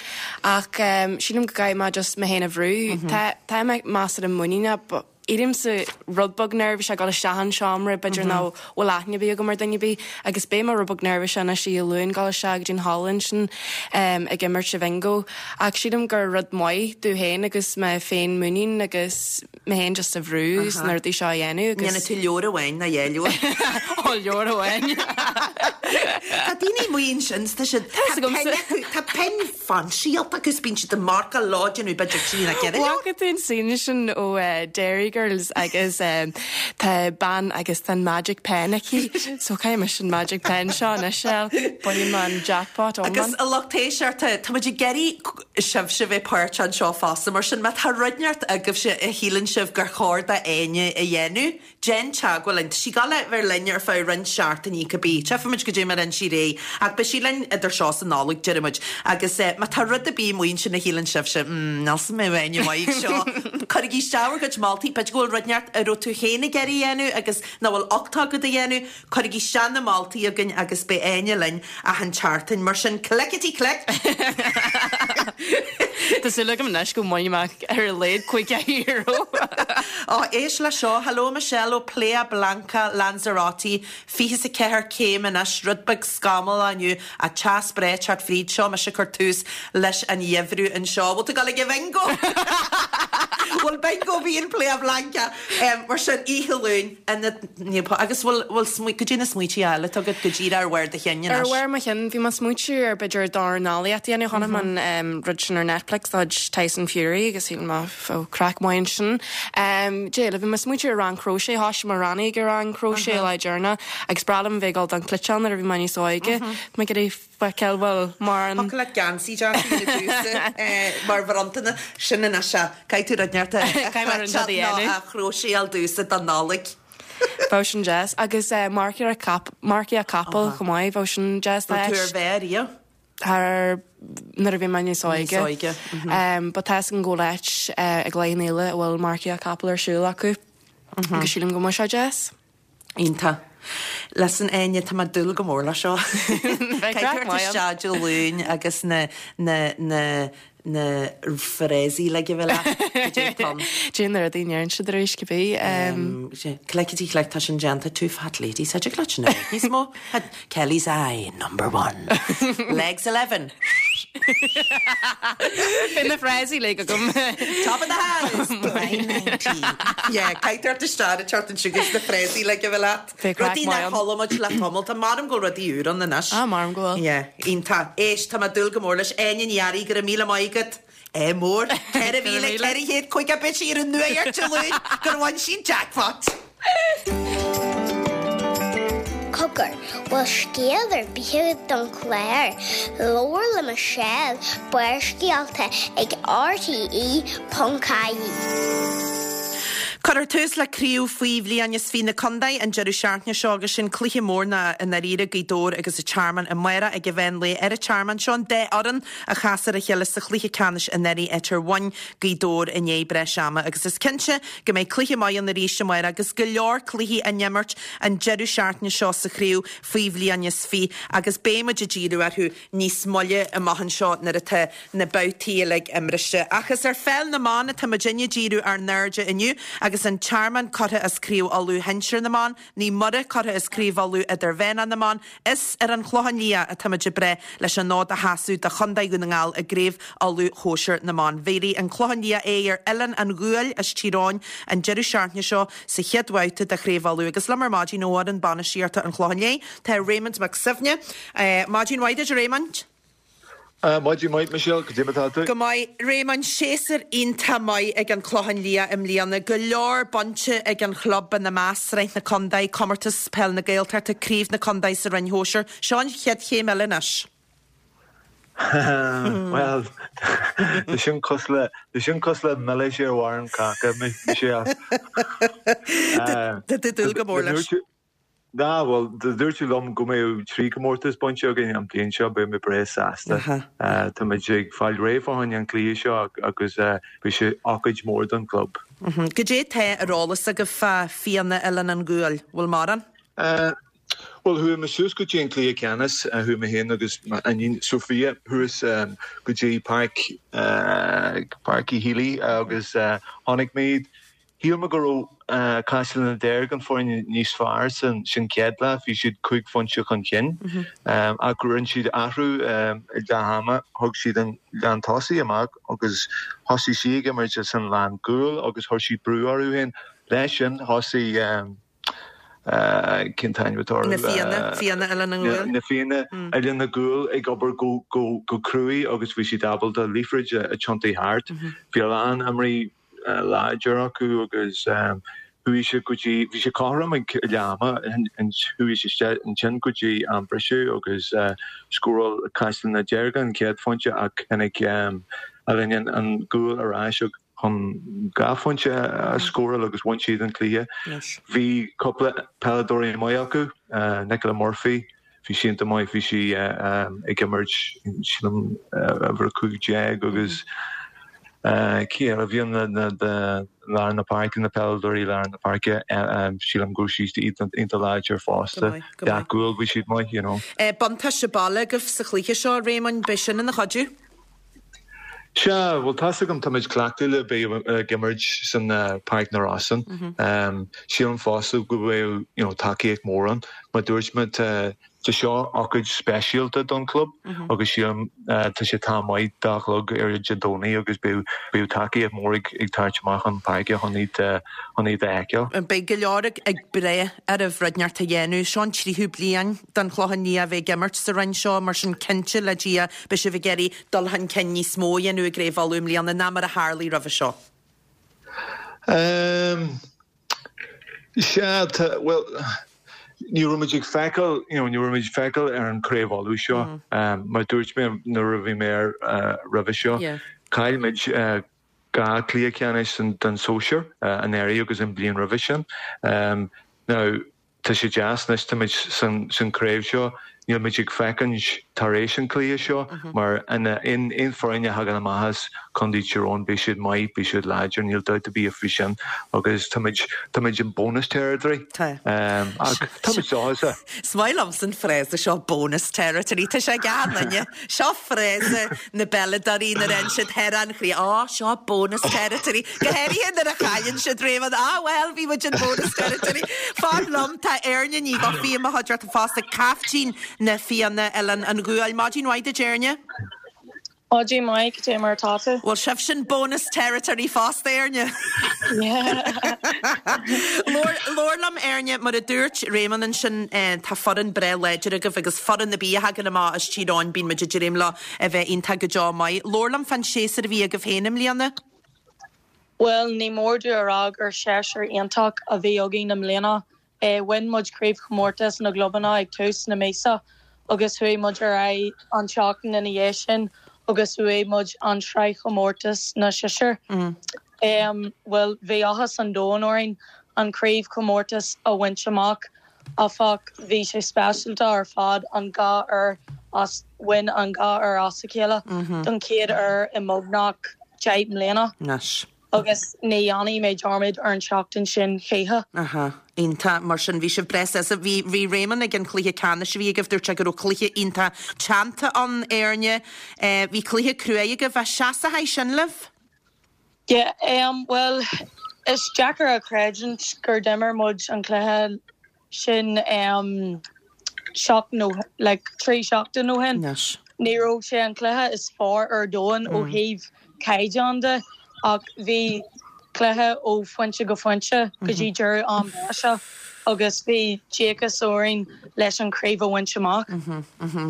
ach um, sílim go gcaithfidh mé just mé féin a bhrú. Tá tá mé measartha muiníneach, but éirímse rud beag nervous ag dul isteach an seomra b'fhéidir nach bhfuil aithne ar bith agam ar duine ar bith agus beidh mé rud beag nervous anois Dé Luain dul isteach go dtí'n halla ansin um, ag imirt sa bhingo ach sílim gur rud maith domh féin agus mé féin muinín agus mé féin just a bhrú sna rudaí seo a dhéanamh agus Dhéanfaidh tú leabhar amháin ná dhá leabhar. Ó leabhar amháin. Tá daoine muin sin tá siad Tá agamsa. Tá pinn fansialta agus bíonn siad ag marcáil lá déanamh b'fhéidir trí na ceithre leabhar. Bhfaca tú an scene sin ó uh, Derry Girls agus um, tá bean agus tá magic pen aici so caithfidh mise an magic pen seo anois bainfidh mé an jackpot Agus a lucht éisteachta tá muid ag iarraidh sibhse bheith páirteach anseo fosta mar sin má tá rud inteacht agaibhse a shíleann sibh gur chóir d'Áine a dhéanamh, déan teagmháil linn. Tá sí ag gabháil a bheith linn ar feadh roinnt seachtainí cibé. Tchífimid goidé mar a sí réidh ach beidh sí linn idir seo is an Nollaig deir muid. Agus eh, má tá rud ar bith amuigh ansin a shíleann sibhse mm, níl mé Áine mhaith seo. Cuirigí isteach bhur gcuid moltaí b'fhéidir go bhfuil rud inteacht a raibh tú féin ag iarraidh a dhéanamh agus nach bhfuil ucht agat a dhéanamh, cuirigí isteach na moltaí againn agus beidh Áine linn achan tseachtain mar sin clickety click. Tá súil agam anois go mbainfidh mé ar a laghad caoga euro. Ó éist le seo, hello Michelle ó Playa Blanca Lanzarote, fiche is a ceathair céim anois, rud beag scamallach inniu a teas breá teacht fríd seo mise ag cur tús leis an gheimhreadh anseo. Bhfuil tú ag gabháil ag an bingo? Bhfuil bingo bhí in Playa Blanca um, mar sin oíche Luain agus bhfuil bhfuil goidé na smaointe eile agat go díreach ar bharr do chinn Ar bharr mo chinn bhí mé ag smaointiú ar b'fhéidir dornálaíocht a dhéanamh chonaic mé an um, rud sin ar Netflix tá Tyson Fury agus shíl mé ó craic maith sin. Um, Dé le bhí mé ag smaointiú ar rang crochet thosaigh mo leanaí ag rang crochet le deireanas agus b'fhearr liom bheith ag dul don chliatán nuair a bhí mé níos óige. Me go feiceáil bhfuil mar an Thiocfadh leat geansaí deas a dhéanamh mar bhronntanas sin ina se Caithfidh tú rud inteacht Caithfidh mé rud a dhéanamh. a chróiséáil domhsa don Nollaig. Bheadh sin deas agus uh, marcaíocht cap marcaíocht capall chomh maith bheadh sin deas Tú ar bheith riamh? Thar nuair a bhí mé níos óige. óige, Um, but tá an go leis uh, ag lein éile a bhfuil marcaíocht capall ar siúl acu. Agus sílim go mbeadh sé deas. Iontach. Listen Áine tá mé ag dúil go mór le seo. Bheidh craic maith ann. Isteach Luain agus na na na na frésaí le go bhfuil Tom. Dé na rudaí ndéarann siad arís cibé. Um, Clickety click tá sin déanta two fat ladies a clutch na níos mó Kelly's eye number one legs eleven Bhí na frésaí le go top of the house nine ninety yeah Caithfidh isteach teacht an sugus na frésaí le go bhfuil Bheidh craic Rudaí maith nach ann. chuala muid le tamall Tá maram go rudaí úr an anois. Ah, maram go bhfuil. Yeah, iontach. Éist tá mé ag dúil go mór leis Áine Ní Fhearraigh go raibh míle maith agat. É mór ceithre mhíle ceithre chéad caoga punt ar an nuacht Dé Luain gur bhain sí jackpot. Cogar bhfuil scéal ar bith don chlár, Labhair le Michelle Barrscéalta ag RTE.ie. Cuirfear tús le craobh faoi bhliain is fiche na contae an deireadh seachtaine seo agus sin cluiche mór na in Aríre Gaoth Dobhair agus an Tearmann amárach ag an mheán lae ar an Tearmann seo an dá fhoireann a chas ar a chéile sa chluiche ceannais anuraidh áit ar bhain Gaoth Dobhair i ndiaidh breis ama agus is cinnte go mbeidh cluiche maith ann arís amárach agus go leor cluichí á n-imirt an deireadh seachtaine seo sa chraobh faoi bhliain is fiche agus beimid ag díriú orthu níos moille amach anseo nuair atá na babhtaí uilig imrithe. Ach is ar pheil na mban atá muid ag díriú ár n-airde inniu agus an Tearmann curtha as Craobh Uladh Shinsir na mBan, Naomh Muire curtha as Craobh Uladh Idirmheánach na mBan, is ar an Chlochán Liath atá muid ag breith leis an fhód a sheasamh do Chontae Dhún na nGall i gCraobh Uladh Shóisir na mBan. Bhéarfaidh an Clochán Liath aghaidh ar Oileán an Ghuail as Tír Eoghain an deireadh seachtaine seo sa chéad bhabhta de Chraobh Uladh agus liom ar maidin ó fhoireann bainistíochta an Chlocháin Léith tá Raymond Mac Suibhne. Uh, Maidin mhaith duit Raymond? Uh, Maidin mhaith Michelle, goidé mar atá tú? Go maith Raymond séasúr iontach maith ag an Chlochán Liath i mbliana, go leor bainte ag an chlub ina measc Sraith na Contae, Comórtas Peil na Gaeltachta, Craobh na Contae sa Roinn Shóisir, seo an chéad chéim eile anois. Well Tá sin cosúil le sin cosúil le milis ar bharr an cháca Michelle. Tá dúil go mór leis. Ná well dúirt tú liom go mbeadh trí comórtas bainte againn an bliain seo beidh mé breá sásta. Tá muid ag fáil réidh fá choinne an cluiche seo agus bhí sé ócáid mór don club. Goidé tá ar eolas agaibh fá Fianna Oileán an Ghuail, bhfuil mórán? Well chuaigh mé suas go dtí an cluiche ceannais chuaigh mé féin agus iníon Sophia thuas go dtí Páirc Páirc Uí Héalaí agus chonaic muid Shíl mé go raibh Caiseal na Deirg an foireann níos fearr san sin chéad leath bhí siad cúig phointe chun cinn ach rinne siad athrú i leath ama thug siad an lán tosaí amach agus thosaigh sí ag imirt san lán gcúl agus chuir sí brú orthu féin leis sin thosaigh cén t-ainm Na Fianna Fianna Oileán an Ghuail. Na Fianna Oileán na gCúil ag obair go go go cruaidh agus bhí siad ábalta liathróid a thiontú thart. Bhí a lán imreoirí láidir acu agus chuaigh sé go dtí bhí sé cothrom ag leath ama chuaigh sé ansin go dtí an briseadh agus scóráil Caisleán na Deirge an chéad phointe ach tháinig Oileán an Ghuail ar ais chun dhá phointe a scóráil agus bhain siad an cluiche. Bhí cúpla peileadóirí maith acu, Nicola Murphy, bhí sí iontach maith, bhí sí ag imirt sílim uimhir a cúig déag agus cé eile a bhí ann lár na páirce, na peileadóirí lár na páirce, sílim go raibh siad iontach láidir fosta. Gach cúl bhí siad maith, you know. Buntáiste baile agaibh sa chluiche seo, Réamonn, beidh sin ina chuidiú? Sea, bhuel tá's agam táimid cleachtaithe le bheith ag imirt san Páirc na Rosann. Sílim fosta go bhfuil you know tacaíocht mór ann. Mar dúirt mé tá tá seo ócáid speisialta don chlub agus sílim tá sé tá maith dá chlog ar Dé Domhnaigh agus beidh beidh tacaíocht mór ag ag tabhairt amach an páirce chun iad chun iad a fheiceáil. Beidh go leor ag ag breith oraibh rud inteacht a dhéanamh. Seo an tríú bliain don Chlochán Liath a bheith ag imirt sa roinn seo mar sin cinnte le Dia beidh sibh ag iarraidh dul chun cinn níos mó a dhéanamh i gCraobh Uladh i mbliana ná mar a tharlaigh roimhe seo. Um, sea, tá, bhuel, ní raibh muid ag feiceáil, you know, ní raibh muid ag feiceáil ar an Craobh Uladh seo, um, mar dúirt mé nuair a bhí mé ar uh, roimhe seo, Yeah. chaill muid uh, dhá chluiche ceannais den, den sóisear uh, anuraidh agus an bliain roimhe sin. Um, now, tá sé deas anois táimid san, san craobh seo, níl muid ag féachaint tar éis an cluiche seo, mar in aon aon foireann a thagann amach as Contae Thír Eoghain beidh siad maith, beidh siad láidir, níl dabht ar bith faoi sin agus táimid táimid in bonus territory. Tá. Um, ach táimid sásta. Is maith liom san frása seo bonus territory Tá sé gan seo frása na bpeileadóirí nuair a siad ar an chrí á seo bonus territory Go háirithe nuair a chailleann siad Réamonn á well bhí muid in bonus territory. Fan liom tá Éirne ní go fi a chuideachta fosta caiftín na Fianna Oileán an Ghuail Maidin mhaith duit Éirne? Maidin mhaith cad é mar atá tú? Well sibh sin bonus territory fosta Éirne. Labhair liom Éirne mar a dúirt Réamonn ansin eh, tá foireann breá láidir agaibh agus foireann ar bith a thagann amach as Tír Eoghain bíonn muid ag dréim leo a bheith iontach go deo maith. Labhair liom fán séasúr a bhí agaibh féin i mbliana? Well ní mór domh a rá gur séasúr iontach a bhí againn i mbliana. E, bhain muid craobhchomórtas na gclubanna ag tús na míosa agus chuaigh muid ar aghaidh an tseachtain ina dhiaidh sin agus bhuaigh muid an sraithchomórtas na sinsear. Mm. Um, well bhí áthas an domhain orainn an craobhchomórtas a bhaint amach áfach bhí sé speisialta ar fad an dhá uair as bhain an dhá uair as a chéile mm -hmm. don chéad uair i mbeagnach deich mbliana. Anois. agus ní dhéanfaidh mé dearmad ar an seachtain sin choíche. Aha. Iontach mar sin bhí sibh breá sásta bhí bhí Réamonn ag an cluiche ceannais a bhí agaibh dúirt sé go raibh cluiche iontach teannta an Éirne eh, bhí cluiche crua agaibh a seasaithe sin libh? Yeah, um, well is deacair a chreidiúint gur d'imir muid an cluiche sin um, seach nó like, trí seachtain ó shin. Anois. Ní raibh sé an cluiche is fearr ar domhan ó thaobh caighdeán de ach bhí cluiche ó phointe go pointe go dtí deireadh am breise agus bhí díocas orainn leis an craobh a bhaint amach.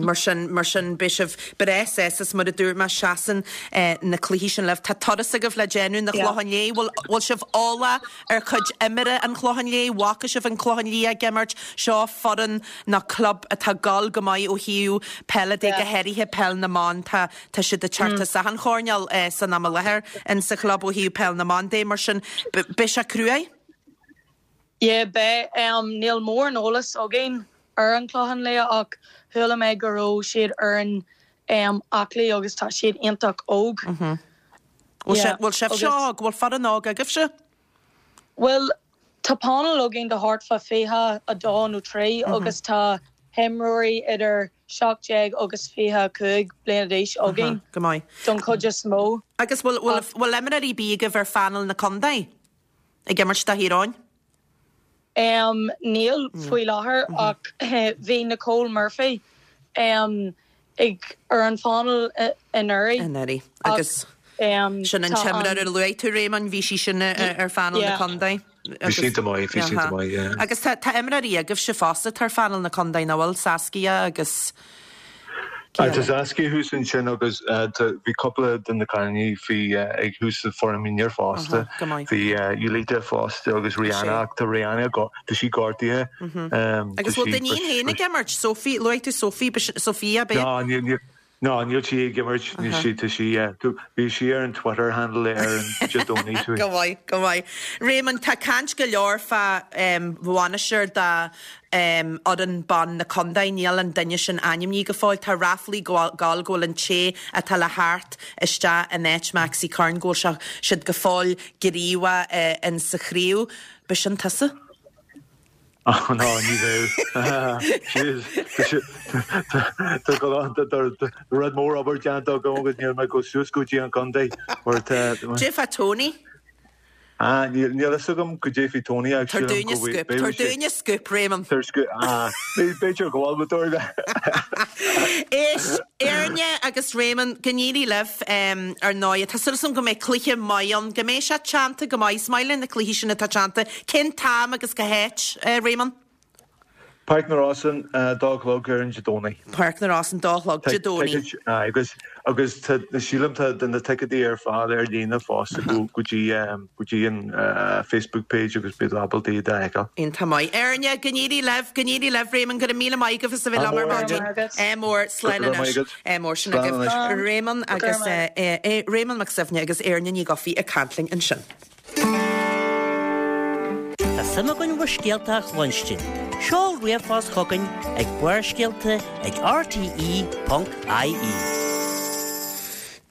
Mar sin mar sin beidh sibh breá sásta mar a dúirt mé seasann eh, na cluichí sin libh Tá turas agaibh le déanamh na Yeah. Clochán Liath bhfuil bhfuil sibh eolach ar chuid imeartha an Chlocháin Léith, bhfaca sibh an Clochán Liath ag imirt seo foireann na club atá gal go maith ó thaobh peile de go háirithe peil na mban tá tá siad ag teacht as an choirnéal eh, san am i láthair in sa chlub ó thaobh peil na mban de mar sin beidh sé cruaidh? Yeah, be um, níl mórán eolas againn ar an Clochán Liath ach chuala mé go raibh siad ar an um, aclaí agus tá siad iontach óg. Bhfuil Yeah, bhfuil sibh agus- seo go bhfuil foireann óg agaibhse? Well tá panel againn de thart fá fiche a dó nó trí agus tá imreoirí idir seacht déag agus fiche cúig bliana d'aois againn Go maith. don chuid is mó. Agus bhfuil bhfuil imreoirí ar bith agaibh ar phainéal na contae ag imirt do Thír Eoghain? Um, níl faoi láthair ach bhí Nicole Murphy um, ag ar an phainéal anuraidh. Anuraidh agus um, sin an tá t-imreoir an- a luaigh tú Réamonn bhí sí sin ar phainéal na Yeah. contae. Bhí sí iontach maith, bhí sí iontach maith, yeah. Agus tá tá imreoirí agaibhse fosta ar phainéal na contae na bhfuil Saskia agus Tá Saskia thuas ansin agus bhí cúpla de na cailíní faoi ag thuas sa foireann mionúir fosta. Bhí Julita fosta agus Rihanna ach tá Rihanna tá sí gortaithe. Agus bhfuil d'iníon féin ag imirt Sophie luaigh tú Sophie Sophia b'é? No níl No, níl sí ag imirt níl sí tá sí bhí sí ar an Twitter handle ar an Dé Domhnaigh. Go maith, go maith. Réamonn, tá caint go leor fá bhainisteoir de fhoireann ban na contae, níl an duine sin ainmnithe go fóill. Tá ráflaí ag gabháil go bhfuil an té atá le theacht isteach in áit Maxi Curran go bhfuil siad go fóill gníomhach in sa chraobh. B'shin tusa? Oh no, ní bheadh. Tá tá rud mór obair déanta agam agus níl mé go suas go dtí an contae mar tá Cad é fá Tony? Ah, níl níl fhios agam cad é faoi Tony ach Tabhair sílim dúinne go bhfuil scoop, tabhair dúinne scoop, Réamonn. Tabhair scoop, ah, b'fhéidir go bhfuil tabhair Éist, Éirne agus Réamonn, go n-éirí libh ar ndóigh. Tá súil agam go mbeidh cluiche maith ann, go mbeidh sé teannta go maith. Is maith linn na cluichí sin atá teannta. Cén t-am agus cá háit, Réamonn? Páirc na Rosann, dó a chlog ar an Dé Domhnaigh. Páirc na Rosann, dó a chlog, Dé Domhnaigh. Aye, agus agus tá sílim tá na ticéadaí ar fáil ar líne fosta go go dtí go dtí an Facebook page agus beidh ábalta iad a fheiceáil. Iontach maith. Éirne, go n-éirí libh, go n-éirí libh, Réamonn, go raibh míle maith agaibh as a bheith liom ar maidin. Ádh mór, slán anois. Ádh mór, sin agaibh Réamonn agus Réamonn Mac Suibhne agus Éirne Ní Dhufaigh ag caint linn ansin. Tá suim againn bhur scéalta a chluinstin. Seol ríomhphost chugainn ag Barrscéalta ag rte ponc ie.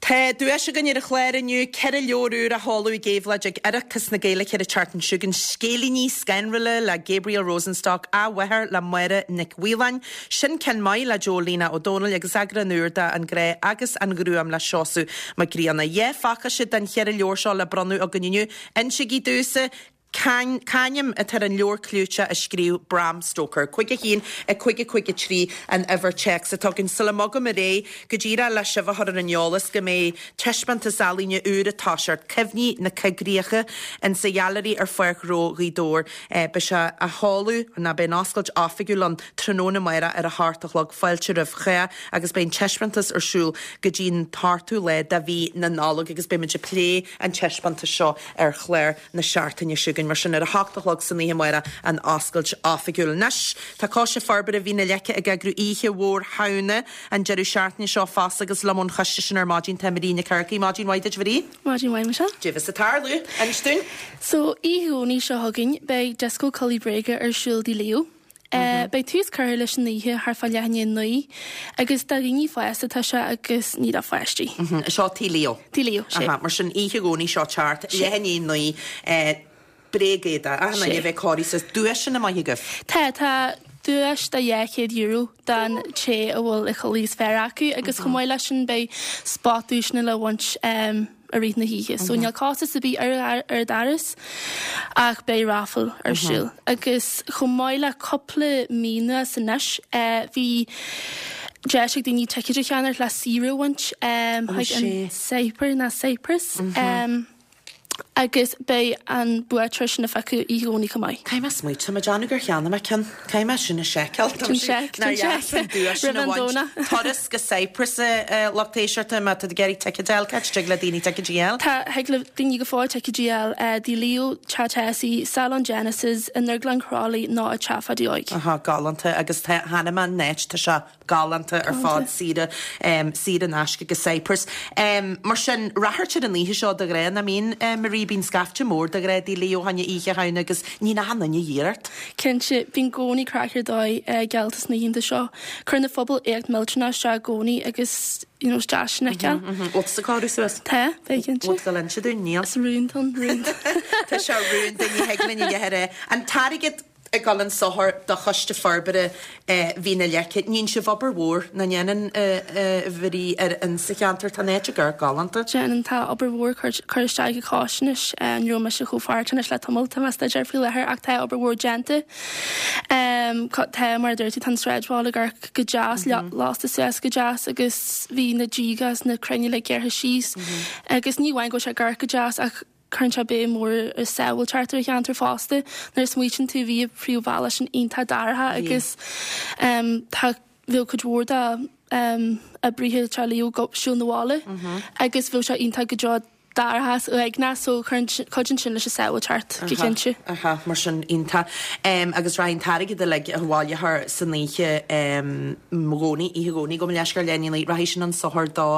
Tá duais againn ar an chlár inniu, ceithre leabhar úr á sheoladh ag Éabhlóid ag Oireachtas na Gaeilge an tseachtain seo chugainn, Scéilíní Scanrúla le Gabriel Rosenstock, Athmháthair le Máire Nic Mhaoláin, Sin Ceann Maith le Joe Lena Ó Dónaill agus eagrán úr de An Grá agus an Ghruaim le Seosamh Mac Grianna. Dhá phacáiste den cheithre leabhar seo le bronnadh againn inniu. Insígí domhsa C'ainm atá ar an leabhar clúiteach a scríobh Bram Stoker. Cúig a haon, a cúig a cúig a trí an uimhir téacs atá againn. Sula mbogaim ar aghaidh, go díreach le sibh a chur ar an eolas go mbeidh taispeántas ealaíne úr ag toiseacht, Cuimhní na Coigríche, in sa Ghailearaí ar Pháirc Ghnó Ghaoth Dobhair. Beidh sé á sheoladh, ná beidh an oscailt oifigiúil ann tráthnóna amárach ar a hocht a chlog. Fáilte roimh chách agus beidh an taispeántas ar siúl go dtí an t-ochtú lá de mhí na Nollag agus beidh muid ag plé an taispeántais seo ar chlár na seachtaine seo chugainn, mar sin ar a hocht a chlog san oíche amárach an oscailt oifigiúil. Anois, tá Coiste Forbartha Mhín na Leice ag eagrú Oíche Mhór Shamhna an deireadh seachtaine seo fosta agus liom ón choiste sin ar maidin tá Marie Nic Earcaigh. Maidin mhaith duit, Marie. Maidin mhaith, Michelle. Cad é bheas ag tarlú, inis dúinn. So, oíche Dhomhnaigh seo chugainn, beidh Disco Culaith Bréige ar siúl Tigh Leo. Beidh tús curtha leis an oíche thart fá leath i ndiaidh a naoi agus do dhaoine fásta atá sé agus ní do pháistí. Seo Tigh Leo. Tigh Leo, sé. Aha, mar sin oíche Dhomhnaigh seo teacht, leath i ndiaidh a naoi, bréagéadaí, achan duine a bheith cóirithe suas. Duaiseanna maithe agaibh? Tá, tá duais de dhá chéad euro don té a bhfuil an chulaith is fearr acu agus chomh maith leis sin beidh spot duaiseanna le baint i rith na hoíche. So níl costas ar bith ar ar doras ach beidh raffle ar siúl. Agus chomh maith le cúpla mí anuas anois bhí deis ag daoine ticéid a cheannach le saoire a bhaint chuig an Cypre ná Cyprus. Agus beidh an buaiteoir sin a phiocadh oíche Dhomhnaigh chomh maith. Caithfidh mé smaoitiú, tá mé ag déanamh gur cheannaigh mé ceann. Caithfidh mé sin a sheiceáil. Déan seic, déan seic. Roimh an Domhnach. Turas go Cyprus a lucht éisteachta má tá tú ag iarraidh ticéad a fháil, cá háit a dtig le daoine ticéid a fháil? Tá, thig le daoine go fóill ticéid a fháil Tigh Leo, Teach Tessie, Salon Genesis, i nDrioglann Crolly nó i Teach Pháidí Óig. Aha, galánta agus tá cheana mé an áit, tá sé galánta ar fad, saoire, saor in aisce go Cyprus. Mar sin, ráchairt ar an oíche seo de ghnáth, nach mbíonn, Marie, bíonn scaifte mór de ghnáth Tigh Leo fá choinne Oíche Shamhna agus níonn achan duine iarracht. Cinnte, bíonn i gcónaí craic ar dóigh geallta sna hoícheanta seo. Cuireann an phobal éacht millteanach isteach i gcónaí agus you know, is deas sin a fheiceáil. Bhfuil tusa cóirithe suas? Tá, beidh cinnte. Bhfuil tú ag inse dúinn? Níl. Is rún atá ann, rún. Tá sé rúnda, ní thig linn a dhéanamh ar é. An t-airgead ag dul chun sochair do Choiste Forbartha Mhín na Leice. Níonn sibh obair mhór, nach ndéanann, a Mharie, ar an sa cheantar. Tá an áit ag amharc galánta. Déanann, tá obair mhór curtha isteach ag Coiste anois. Ní raibh mise chomh páirteach anois le tamall, tá mé ag staidéar faoi láthair ach tá obair mhór déanta. Tá, mar a dúirt tú, tá an sráidbhaile ag amharc go deas, lasta suas go deas agus bhí na díoga is na crainn uilig gearrtha síos agus ní amháin go bhfuil sé ag amharc go deas ach cuireann sé béim mhór ar sábháilteacht ar an cheantar fosta. Nuair a smaoitíonn tú bhí an príomhbhealach sin iontach dorcha agus tá bheadh cuid mhór de um, oibrithe Teach Leo ag siúl 'na bhaile agus bheadh sé iontach go deo dorchas uaigneach so cuidíonn sin leis an sábháilteacht go cinnte. Aha, mar sin iontach. Um, agus rachaidh an t-airgead uilig a bhaileofar san oíche um, Dhomhnaigh, oíche Dhomhnaigh gabh mo leithscéal leath i ndiaidh a naoi, rachaidh sin an sochar do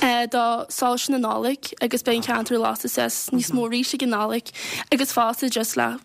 Uh, do soilse na Nollag agus beidh an ceantar lasta suas níos mó arís ag an Nollaig agus fosta just le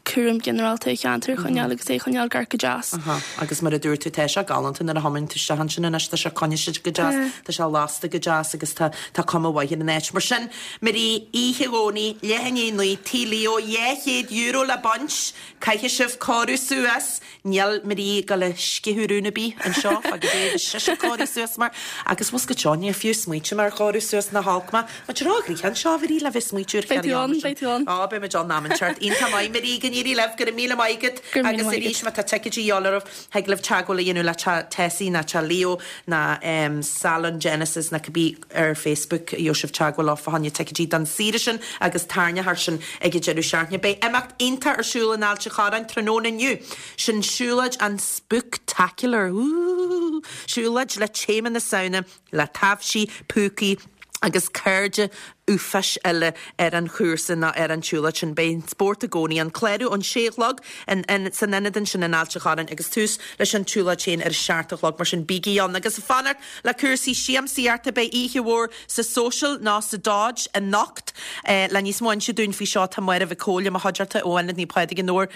cúram ginearálta ceantar choinneáil agus é choinneáil gar go deas. Aha, agus mar a dúirt tú tá sé galánta nuair a thiomáin tú isteach ansin anois tá sé coinnithe go deas, tá sé lasta go deas agus tá tá cuma mhaith ar an áit. Mar sin Marie oíche Dhomhnaigh leath i ndiaidh a naoi Tigh Leo dhá chéad euro le baint, caithfidh sibh cóiriú suas, níl Marie ag gabháil a sceitheadh rún ar bith anseo fá go dté sise cóiriú suas mar agus was go seo níor fiú smaointe mar chóiriú suas na halcma, Ma rá grí anseo bhí le bheith smaoitiú ar Beidh tú ann, beidh tú ann. Á beidh muid ann am inteacht. Iontach maith Marie go n-éirí libh go raibh míle maith agat Go raibh míle agus maith arís agat. má tá ticéidí a dhíobháil oraibh thig libh teagmháil a dhéanamh le Tessie ná Teach Leo ná um, Salon Genesis ná cibé ar Facebook gheobhaidh sibh teagmháil leo fá choinne ticéidí don saoire sin agus tairneachar sin ag an deireadh seachtaine. Beidh imeacht iontach ar siúl in Ailt an Chorráin tráthnóna inniu. Sin siúlóid an spooktacular. Ooh, siúlóid le téama na Samhna le taibhsí, púcaí, agus cairde uafáis eile ar an chúrsa ná ar an tsiúlóid sin beidh spórt i gcónaí an clárú ón sé a chlog in, in, san ionad sin in Ailt an Chorráin agus tús leis an tsiúlóid sin ar seacht a chlog mar sin bígí ann agus fanacht le cúrsaí siamsaíochta beidh oíche mhór sa social ná sa Dodge anocht eh, le níos mó a inse dúinn faoi seo tá Máire Mhic Cóil mo chuideachta ó Ionad Naomh Pádraig i nDobhar.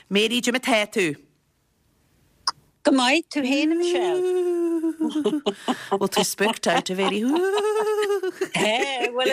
Mary Jim tá tú. Go maith tú féin Michelle. Bhfuil tú spooked out a Mhary. Well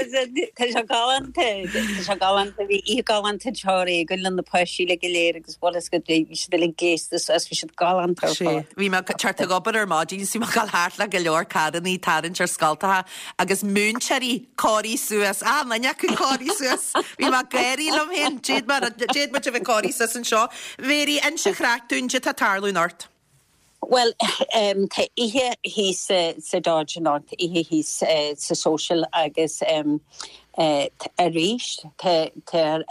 tá sé galánta tá sé galánta bhí oíche galánta teoirí go le na páistí le go léir agus bhil go bhí siad le gléasta as bhí siad galánta ar fad. Bhí mé teacht ag obair ar maidin sí gal thart le go leor carrannaí tarraingt ar scoltacha agus múinteoirí cóirithe suas á duine acu cóirithe suas. Bhí mé ag gáirí liom féin déad mu bheith cóirithe suas anseo. Mary inis craic dúinn cad tá ag tarlú anocht. Well um, tá oíche thíos uh, sa Dodge anocht oíche thíos uh, sa social agus um, uh, arís tá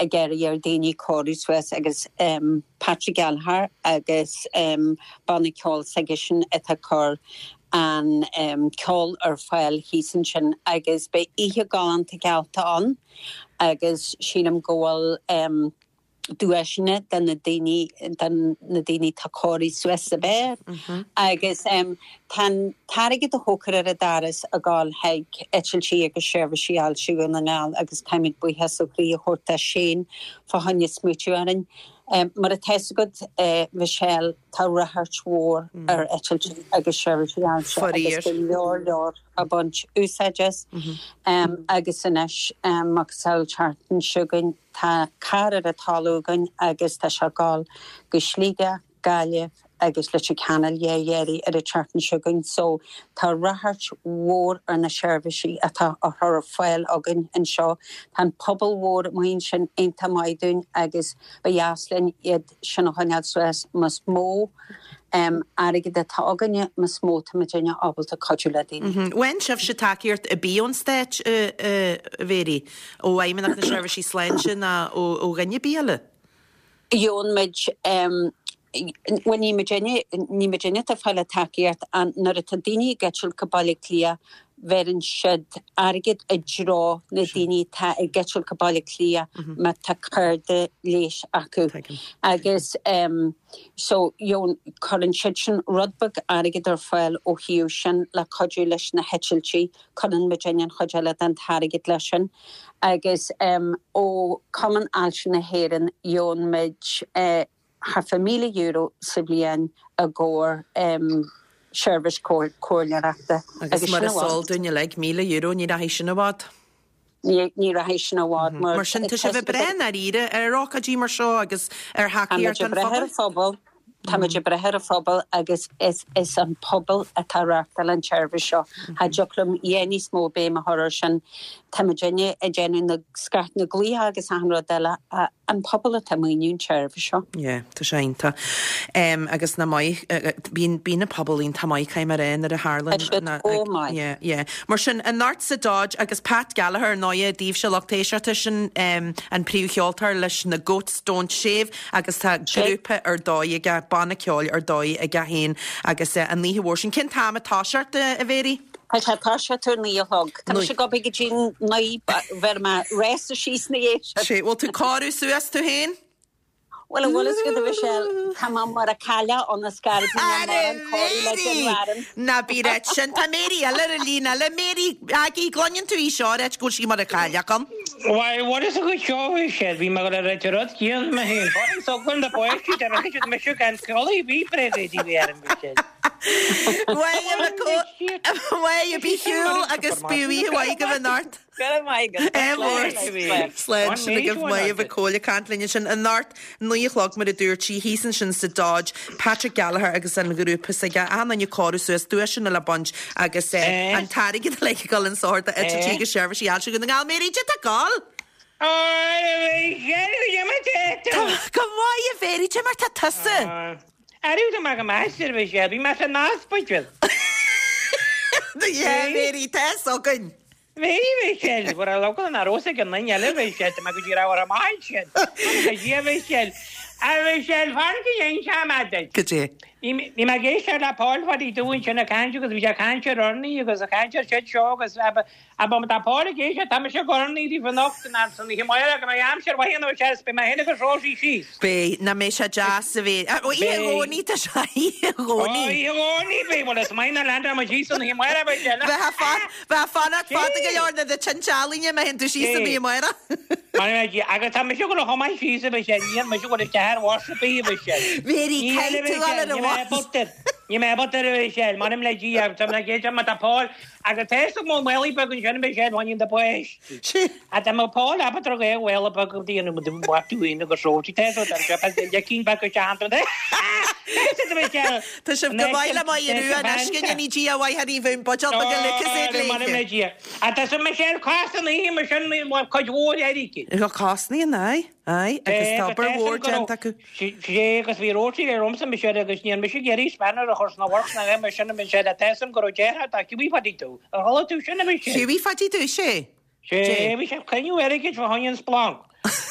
ag iarraidh ar daoine cóiriú suas agus um, Patrick Gallagher agus um, banna ceoil s'aigesean atá ag cur an um, ceol ar fáil thíos ansin agus beidh oíche galánta geallta ann agus sílim go bhfuil um, duaiseanna den na daoine den na daoine tá cóirithe suas is fearr agus um, tá t-airgead a thógfar ar an doras ag gabháil chuig eitiltí agus seirbhísí ailse Dhún na nGall agus táimid buíochas ó chroí a thabhairt sin fá choinne smaoitiú orainn. Um, mar atá agat uh, Michelle tá ráchairt mhór mm. ar eitiltí agus seirbhísí ailse agus go leor leor ag baint úsáid as mm -hmm. um, agus anois um, agus an tseachtain seo chugainn tá carr ar an talamh againn agus tá sé ag gabháil go Sligeach Gaillimh agus Leitir Ceanainn dhéirí ar an tseachtain seo chugainn so tá ráchairt mhór ar na seirbhísí atá á chur ar fáil againn anseo Tá an pobal mhór muin sin iontach maith dúinn agus ba dheas linn iad sin a choinneáil suas más mó um, airgead atá againne más mó tá muidne ábalta cuidiú le daoine. Bhain sibh se tacaíocht ar bith ón stát Mhary ó Fheidhmeannacht na Seirbhísí Sláinte ná ó dhuine ar bith eile? Gheobhann muid um, Well ní muidne ní muidne atá ag fáil tacaíocht an nuair atá daoine ag eitilt go Baile Átha Cliath bheireann siad airgead i dtreo na daoine tá ag eitilt go Baile Átha Cliath má tá cárta leighis acu. Agus um, so cuireann siad sin rud beag airgead ar fáil ó thaobh sin le cuidiú leis na heitiltí cuireann muidne an chuid eile den t-airgead leis sin. Agus um, ó Cumann Ailse na hÉireann gheobhann muid uh, thart fá míle euro sa bhliain i gcomhair um, seirbhís comhairleoireachta. Agus mar is eol dúinn uilig míle euro ní rachaidh sin i bhfad. Ní rachaidh sin i bhfad Mar sin tá sibh ag brath ar ar ócáidí mar seo agus ar thacaíocht an phobail. phobal. Tá muid ag brath ar an phobal agus is, is an pobal atá ag reáchtáil an tseirbhís seo. Cha dtiocfadh liom níos mó béim a chur air sin Tá muidne ag déanamh na scairt na glaoch agus an rud eile an pobal atá ag maoiniú an tseirbhís seo. Yeah, tá sé iontach. Um, agus na maith, bíonn bíonn an pobal iontach maith caithfidh mé a rá nuair a tharlaíonn. Tá siad chomh maith. Yeah, yeah. Mar sin, anocht sa Dodge agus Pat Gallagher ar ndóighe daoibhse lucht éisteachta sin um, an príomhcheoltóir leis na Goats Don't Shave agus tá grúpa ar dóigh aige, banna ceoil ar dóigh aige féin agus uh, an oíche mhór sin. Cén t-am a toiseacht a Mhéirí? Tá sé ag toiseacht ar naoi a chlog. Tá mise ag obair go dtí naoi bheir mé réasta síos na dhiaidh sin. Sé, bhfuil tú cóiriú suas tú féin? Bhuel, an bhfuil fhios agat a Mhichelle, tá mé mar a cailleadh ionas gar bhí mé mar an cóiriú le Jim Warren. Ná bí reit sin. Tá Mary eile ar an líne eile. Mary, Aggie, gcluineann tú í seo reit go bhfuil sí mar a cailleadh ann? Bhuel, bhfuil fhios agat seo a Mhichelle, bhí mé ag dul a ráit an rud céanna mé féin. Fágann socrú na bpáistí, tá mé ag mise gan codladh, bhí bréag di ar an Mhichelle. Mhaith, bí shiúl agus bí oíche mhaith agaibh anocht. Go raibh maith agat. Slán sin agaibh Maedhbh Mhic Cóil ag caint linn ansin anocht naoi a chlog mar a dúirt sí thíos ansin sa Dodge, Patrick Gallagher agus an grúpa s'aige achan duine cóiriú suas duaiseanna le baint agus an t-airgead uilig ag dul in sochar d'eitiltí agus seirbhísí ailse Dhún na nGall. Mary, cad tá ag gol? Tá go maith a Mhary, cad é mar tá tusa? Arú tá mé go maith, a Mhichelle, bhí mé san ospidéal. Yeah, Mary, tá fhios againn. Bhí, Mhichelle, bhur a local an rós ag an duine eile, Mhichelle, tá mé go dtí raibh ar an maith sin. Tá Dia, Mhichelle. A Mhichelle, fan go ndéan sé mé duit. Cad é? Bhí bhí mé ag éisteacht le Paul Phadaí Dubh ansin ag caint agus bhí sé ag caint ar urnaí agus ag caint ar siad seo agus ab ab tá Paul ag éisteacht, tá mise ag urnaí daoibh anocht in am san oíche amárach go mbeidh aimsir mhaith ann ó is beidh mé féin agus Rosie síos. Beidh, nach mbeidh sé deas a bheith. Ó, oíche Dhomhnaigh tá sé, oíche Dhomhnaigh. Ó, oíche Dhomhnaigh beidh, bhuel is maith na leander muid síos san oíche amárach beidh sé. Bheith fan, bheith fanacht fada go leor na na tinte ealaíne má théann tú síos san oíche amárach. Mar agus tá mise ag dul chomh maith síos a bheidh sé, níl mise ag dul isteach ar bhus ar bith a bheidh sé. Mary, caithfidh tú dul ar an bhus. Níl mé ábalta a Mhichelle, m'anam le Dia, agus tá mé ag éisteacht má tá Paul, agus tá fhios agam maolaí beag ansin a Mhichelle, bhaineann do páistí. A tá mé Paul ábalta ar ghaoth mhaola beag go dtí an mhaith tú féin agus Rosie, tá fhios agat, tá sé lecín beag isteach ann. Tá fhios agat a Mhichelle. Tá sibh go maith le Maigh Rua anois, go ndéanaí Dia mhaith oraibh an buidéal beag a Lucozade léithe. M'anam le Dia. A tá sa Michelle cosnaithe mar sin cuid mhór airgid. Tá cosnaithe, aye, aye, agus tá obair mhór déanta acu. Sé agus bhí Rosie le romsa Michelle agus níl mise ag iarraidh spanner a chur sna works na mar sin a Michelle, tá fhios agam go raibh deartháir dá Hughie Phadaí Dubh. Ar chuala tú sin a Michelle? Hughie Phadaí Dubh, sé. Sé, bhí sé ag cruinniú airgid fá choinne an splanc.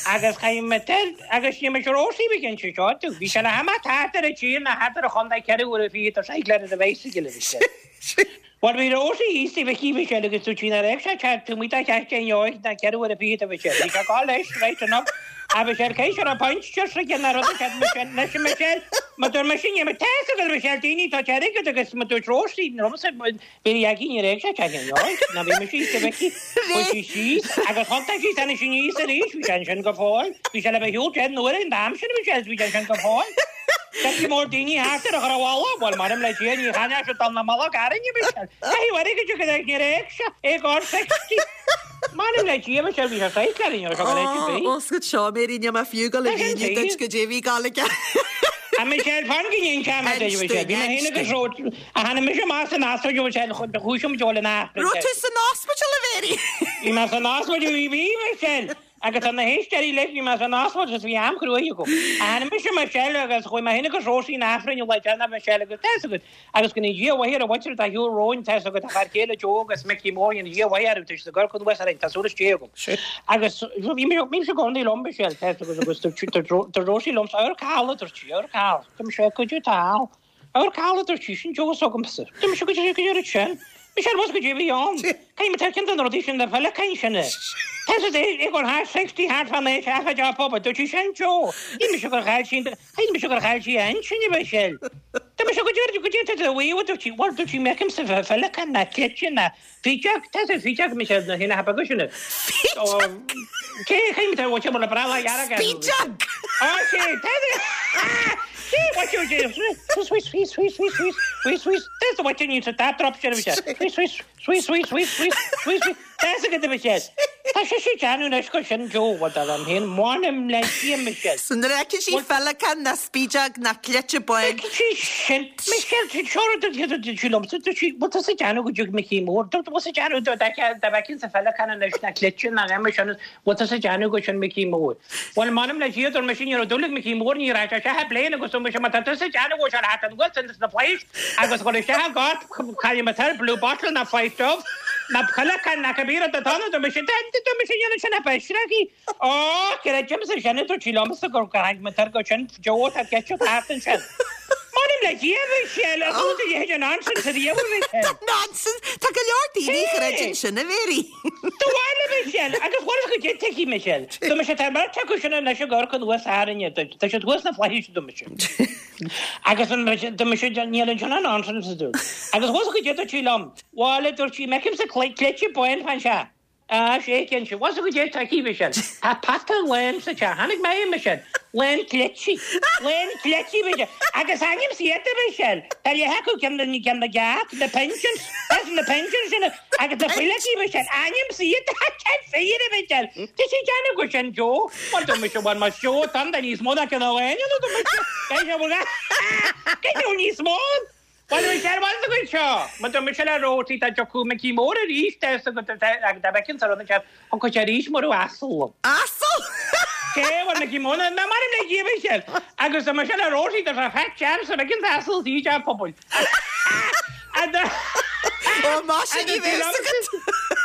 Agus chaith mé tel, agus ní mise Rosie bhí cinnte seo tú. Bhí sé le hama thart ar an tír ná thart ar an chontae ceithre huaire fichead ar cycle ar a bicycle a Michelle. Bhuel bhí Rosie thíos taobh aici Michelle agus dúirt sí nár fhéach sé ceart tú muid dá cheart é inniu ná ceithre huaire fichead a Michelle. Bhí sé ag gabháil leis right enough. A Michelle cé seo an point seo sa gceann rud a cheart Michelle leis an Michelle. Má dúirt mise ní tá fhios agat Michelle daoine tá airgead agus má dúirt Rosie liomsa bhí aici ní raibh sé ceart inniu ná bhí mise thíos taobh aici. Chuaigh sí síos agus thiontaigh sí tháinig sí aníos arís bhí sé ansin go fóill. Bhí sé le bheith shiúl deich n-uaire an t-am sin Michelle bhí sé ansin go fóill. Tá mór daoine thart ar a chur abhaile, bhuel m'anam le Dia ní chaithfeadh sé dul na mullach arainne Michelle. Caithfidh airgead go dtí ní raibh sé ag ár sixty. M'anam le Dia Michelle bhí sé saghas le inniu seo go leid bhí. Oscailt seo Mary níl mé fiú ag dul a mhíniú duit goidé a bhí ag gabháil aige. A Michelle fan go ndéan sé mar duit Michelle. Bhí mé féin agus Ró a tháinig mise amach san ospidéal Michelle chuaigh muid abhaile an Aifreann. Raibh tú san ospidéal a Mhary? Bhí mé san ospidéal bhí bhí Michelle. Agus tá na héisteoirí leis, bhí mé san ospidéal agus bhí am cruaidh agam. Tháinig mise Michelle agus chuaigh mé féin agus Rosie an Aifrinn an lá deireanach Michelle agus tá fhios agat agus go ndéana Dia a mhaith ar an mhuintir atá ar shiúl romhainn tá fhios agat a fear céile Joe agus Mickey Mór go ndéana Dia a mhaith orthu tá siad ag amharc anuas orainn tá súil istigh agam. Agus bhí mé bhí mise i gcónaí liom Michelle tá fhios agat agus dúirt Rosie liomsa amharc thall a dúirt sí amharc thall. Dúirt mise goidé atá thall. Amharc thall a dúirt sí sin Joe s'agamsa. Dúirt mise goidé goidé an rud sin. Michelle bhfuil goidé a bhí ann. Caithfidh mé cén den rudaí sin na feileacáin sin é. Tá siad ag ag thar sixty thart fán aois a job pub dúirt sí sin Joe. Shíl mise gur chaill sí shíl mise gur chaill sí a intinn a Michelle. Tá mise go deireadh go deireadh a bhuí dúirt sí bhuel dúirt sí m'fheicimse feileacán ná cleite ná fídeog tá sé fídeog Michelle na hina beaga sin. Cé chaithfidh mé bhfuil sé mar le breá dhearg Fídeog! Á sé tá sé what you do? Swish, swish, swish, swish, swish, swish, swish. That's the what you need to tap drop sin Michelle. Swish, swish, swish, swish, swish, swish, swish, swish. That's a good Michelle. Tá sise ag déanamh anois gur sin Joe, bhuel dar liom féin, m'anam le Dia, Michelle. So nuair a fheiceann sí féileacán ná spideog ná cleite bán. Feiceann sí sin, Michelle, seo rud a dúirt sí liomsa, dúirt sí, bhfuil tusa ag déanamh go dtiocfaidh Micí Mór, dúirt, bhfuil tusa ag déanamh dá bhfeicfinn sa féileacán anois ná cleite ná aon sin, bhfuil tusa ag déanamh gur sin Micí Mór. Bhuel, m'anam le Dia, dúirt mise, ní raibh dúil ag Micí Mór, ní raibh sé isteach i bpléin agus dúirt mise, má tá tusa ag déanamh go bhfuil sé le theacht anuas ins na flaithis agus dhul isteach i gcárt, caillfidh mé toir, blue bottle ná Five Dove. Ná féileacán ná cibé rud atá ann, dúirt mise, dúirt mise, dhéanann sin a bheisreachaí. Ó, creidimse sin, a dúirt sí liomsa gur tháinig mé tar go sin, Joe, tá ceist thart ansin. M'anam le Dia, a Mhichelle, a dúirt a leithéid de nonsense ariamh, a Mhichelle. Nonsense! Tá go leor daoine a chreideann sin, a Mhéirí. Do bhaile, a Mhichelle, agus bhuel, go dtig tuigfidh Michelle. Dúirt mise, tá an bheirt acu sin anois ag amharc anuas orainne, tá siad thuas sna flaithis, dúirt mise. Agus dúirt mise, níl ansin ach nonsense, a dúirt. Agus bhuel, go dtig, dúirt sí liom. Bhuel, a dúirt sí, m'fheicimse cleite bán fán teach. Á, sé cinnte. Bhuel, go dtig tuigfidh Michelle. Tá pota lán sa teach. Chonaic mé é, Michelle. Lán cleití. Lán cleití, Michelle. Agus ainm's iad, a Mhichelle. Tá leath acu ceann na ceann na gceart, na pigeons. That's na pigeons sin agus na fuileachaí, Michelle. Ainm's iad. Cén fíor, a Mhichelle. Tá sí ag déanamh gur sin Joe. Bhuel, dúirt mise, bhuel, más Joe atá ann, tá níos mó ná ceann amháin ann, a dúirt mise. Cé go bhfuil níos mó ann? Bhuel, bhí sé ar bhus againn seo. Má tá mise le Rósaí, tá tiocfaidh Micí Mór arís agus dá bhfeicfinn sa rud anseo, thiocfadh sé arís mar asal liom. Asal? Cé, bhuel, Micí Mór, ná mairim le Dia, Michelle. Agus tá mise le Rósaí, tá sé fat chance a bhfeicfinn asal sa teach pobail. Ó, más sin ní bheadh fhios agat.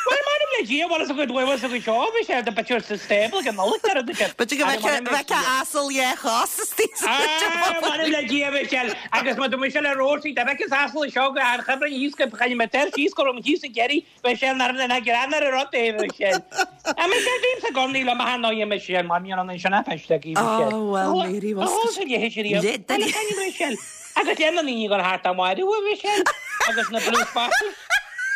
Bhuel, mairim le Dia, bhuel, is a gcuid bhuel, is a gcuid seo, bhí sé the bit sa stable ag an Nollaig ar an B'fhéidir go bhfeicfeá asal dhá chos istigh sa teach Ah, mairim le Dia, Michelle, agus má tá mise le Rósaí, dá bhfeicfinn asal seo go an chuibhreann thíos go chaithfidh mé tair síos go raibh mé thíos ag iarraidh, Michelle, nar ná grean ar an rud é, Michelle. Ah, Michelle, bímse i gcónaí liom a tháinig Michelle, mar níl an sin a feiste ag Michelle. Oh, well, Mary, Ó, sa leithéid riamh. Le duine. Michelle. Agus le na ndaoine gur thart am áirithe, Michelle, agus na blue bottles.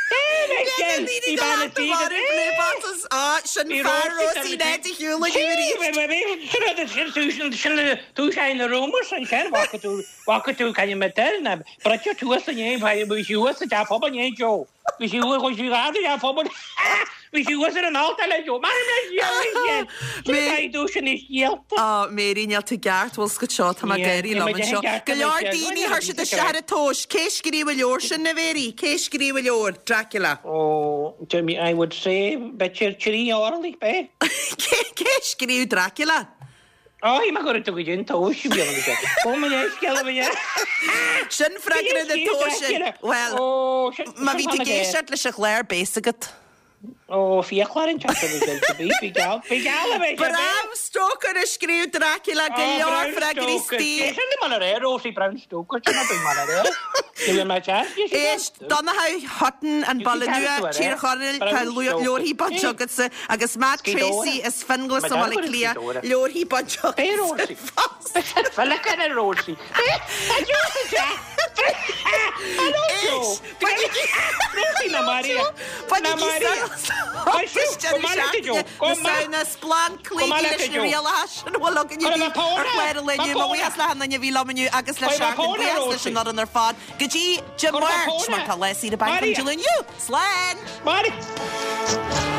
Hey, Michelle! Bhí bean a tí go Blue bottles. Á, sin fear Rósaí Ned a shiúl inniu arís. Sin tús na rumours ansin, bhfaca tú, bhfaca tú caithfidh mé deir, na bruite tuas inné, bhí sí thuas sa teach pobail inné, Joe. Bhí sí thuas, chuaigh sí dhá sa teach pobail. Bhí sí thuas ar an altóir le Joe. Mar Michelle! Sin é dúis an scéalta. Á, Mary, níl tú ceart, bhfuil scut seo, tá mé ag éirí liom anseo. Go leor daoine chuir siad isteach ar an tomhas. Cé scríobh an leabhar sin, a Mhary? Cé scríobh an leabhar? Dracula. Oh, Jimmy, I would say b'fhéidir trí orlaigh, b'é? Cé cé scríobh Dracula? Ó, bhí mé ag tú go dtí an tomhas, bhí an Ó, mo leithscéal, a bhí Sin freagra na tomhaise. Well, má bhí tú ag éisteacht leis an chlár beidh fhios agat. Ó, fiaclóir an teach a bhí bhí geall, bhí geall a bhí Bram Stoker a scríobh Dracula go leor freagraí istigh. Sin mar a ré, Rosie Brown Stoker, sin a mar a ré. Ní bhfuil mé teach. Éist, Donncha Hutton an Baile Nua, Tír Chonaill, tá leabharthaí bainte agatsa agus Matt Tracy as Finglas i mBaile Átha Cliath, leabharthaí bainte agatsa fosta. Feileacán ar Rosie. Éist, Rosie na Maria. Na Maria. Na Samhna splanc cloígí leis na rialacha sin a bhfuil againn ar chlár an lae inniu. Mo bhuíochas le hachan duine a bhí liom inniu agus le Seachtain buíochas leis an fhoireann ar fad. Go dtí Dé Máirt mar tá lá saoire bainc an Dé Luain inniu. Slán! Maria.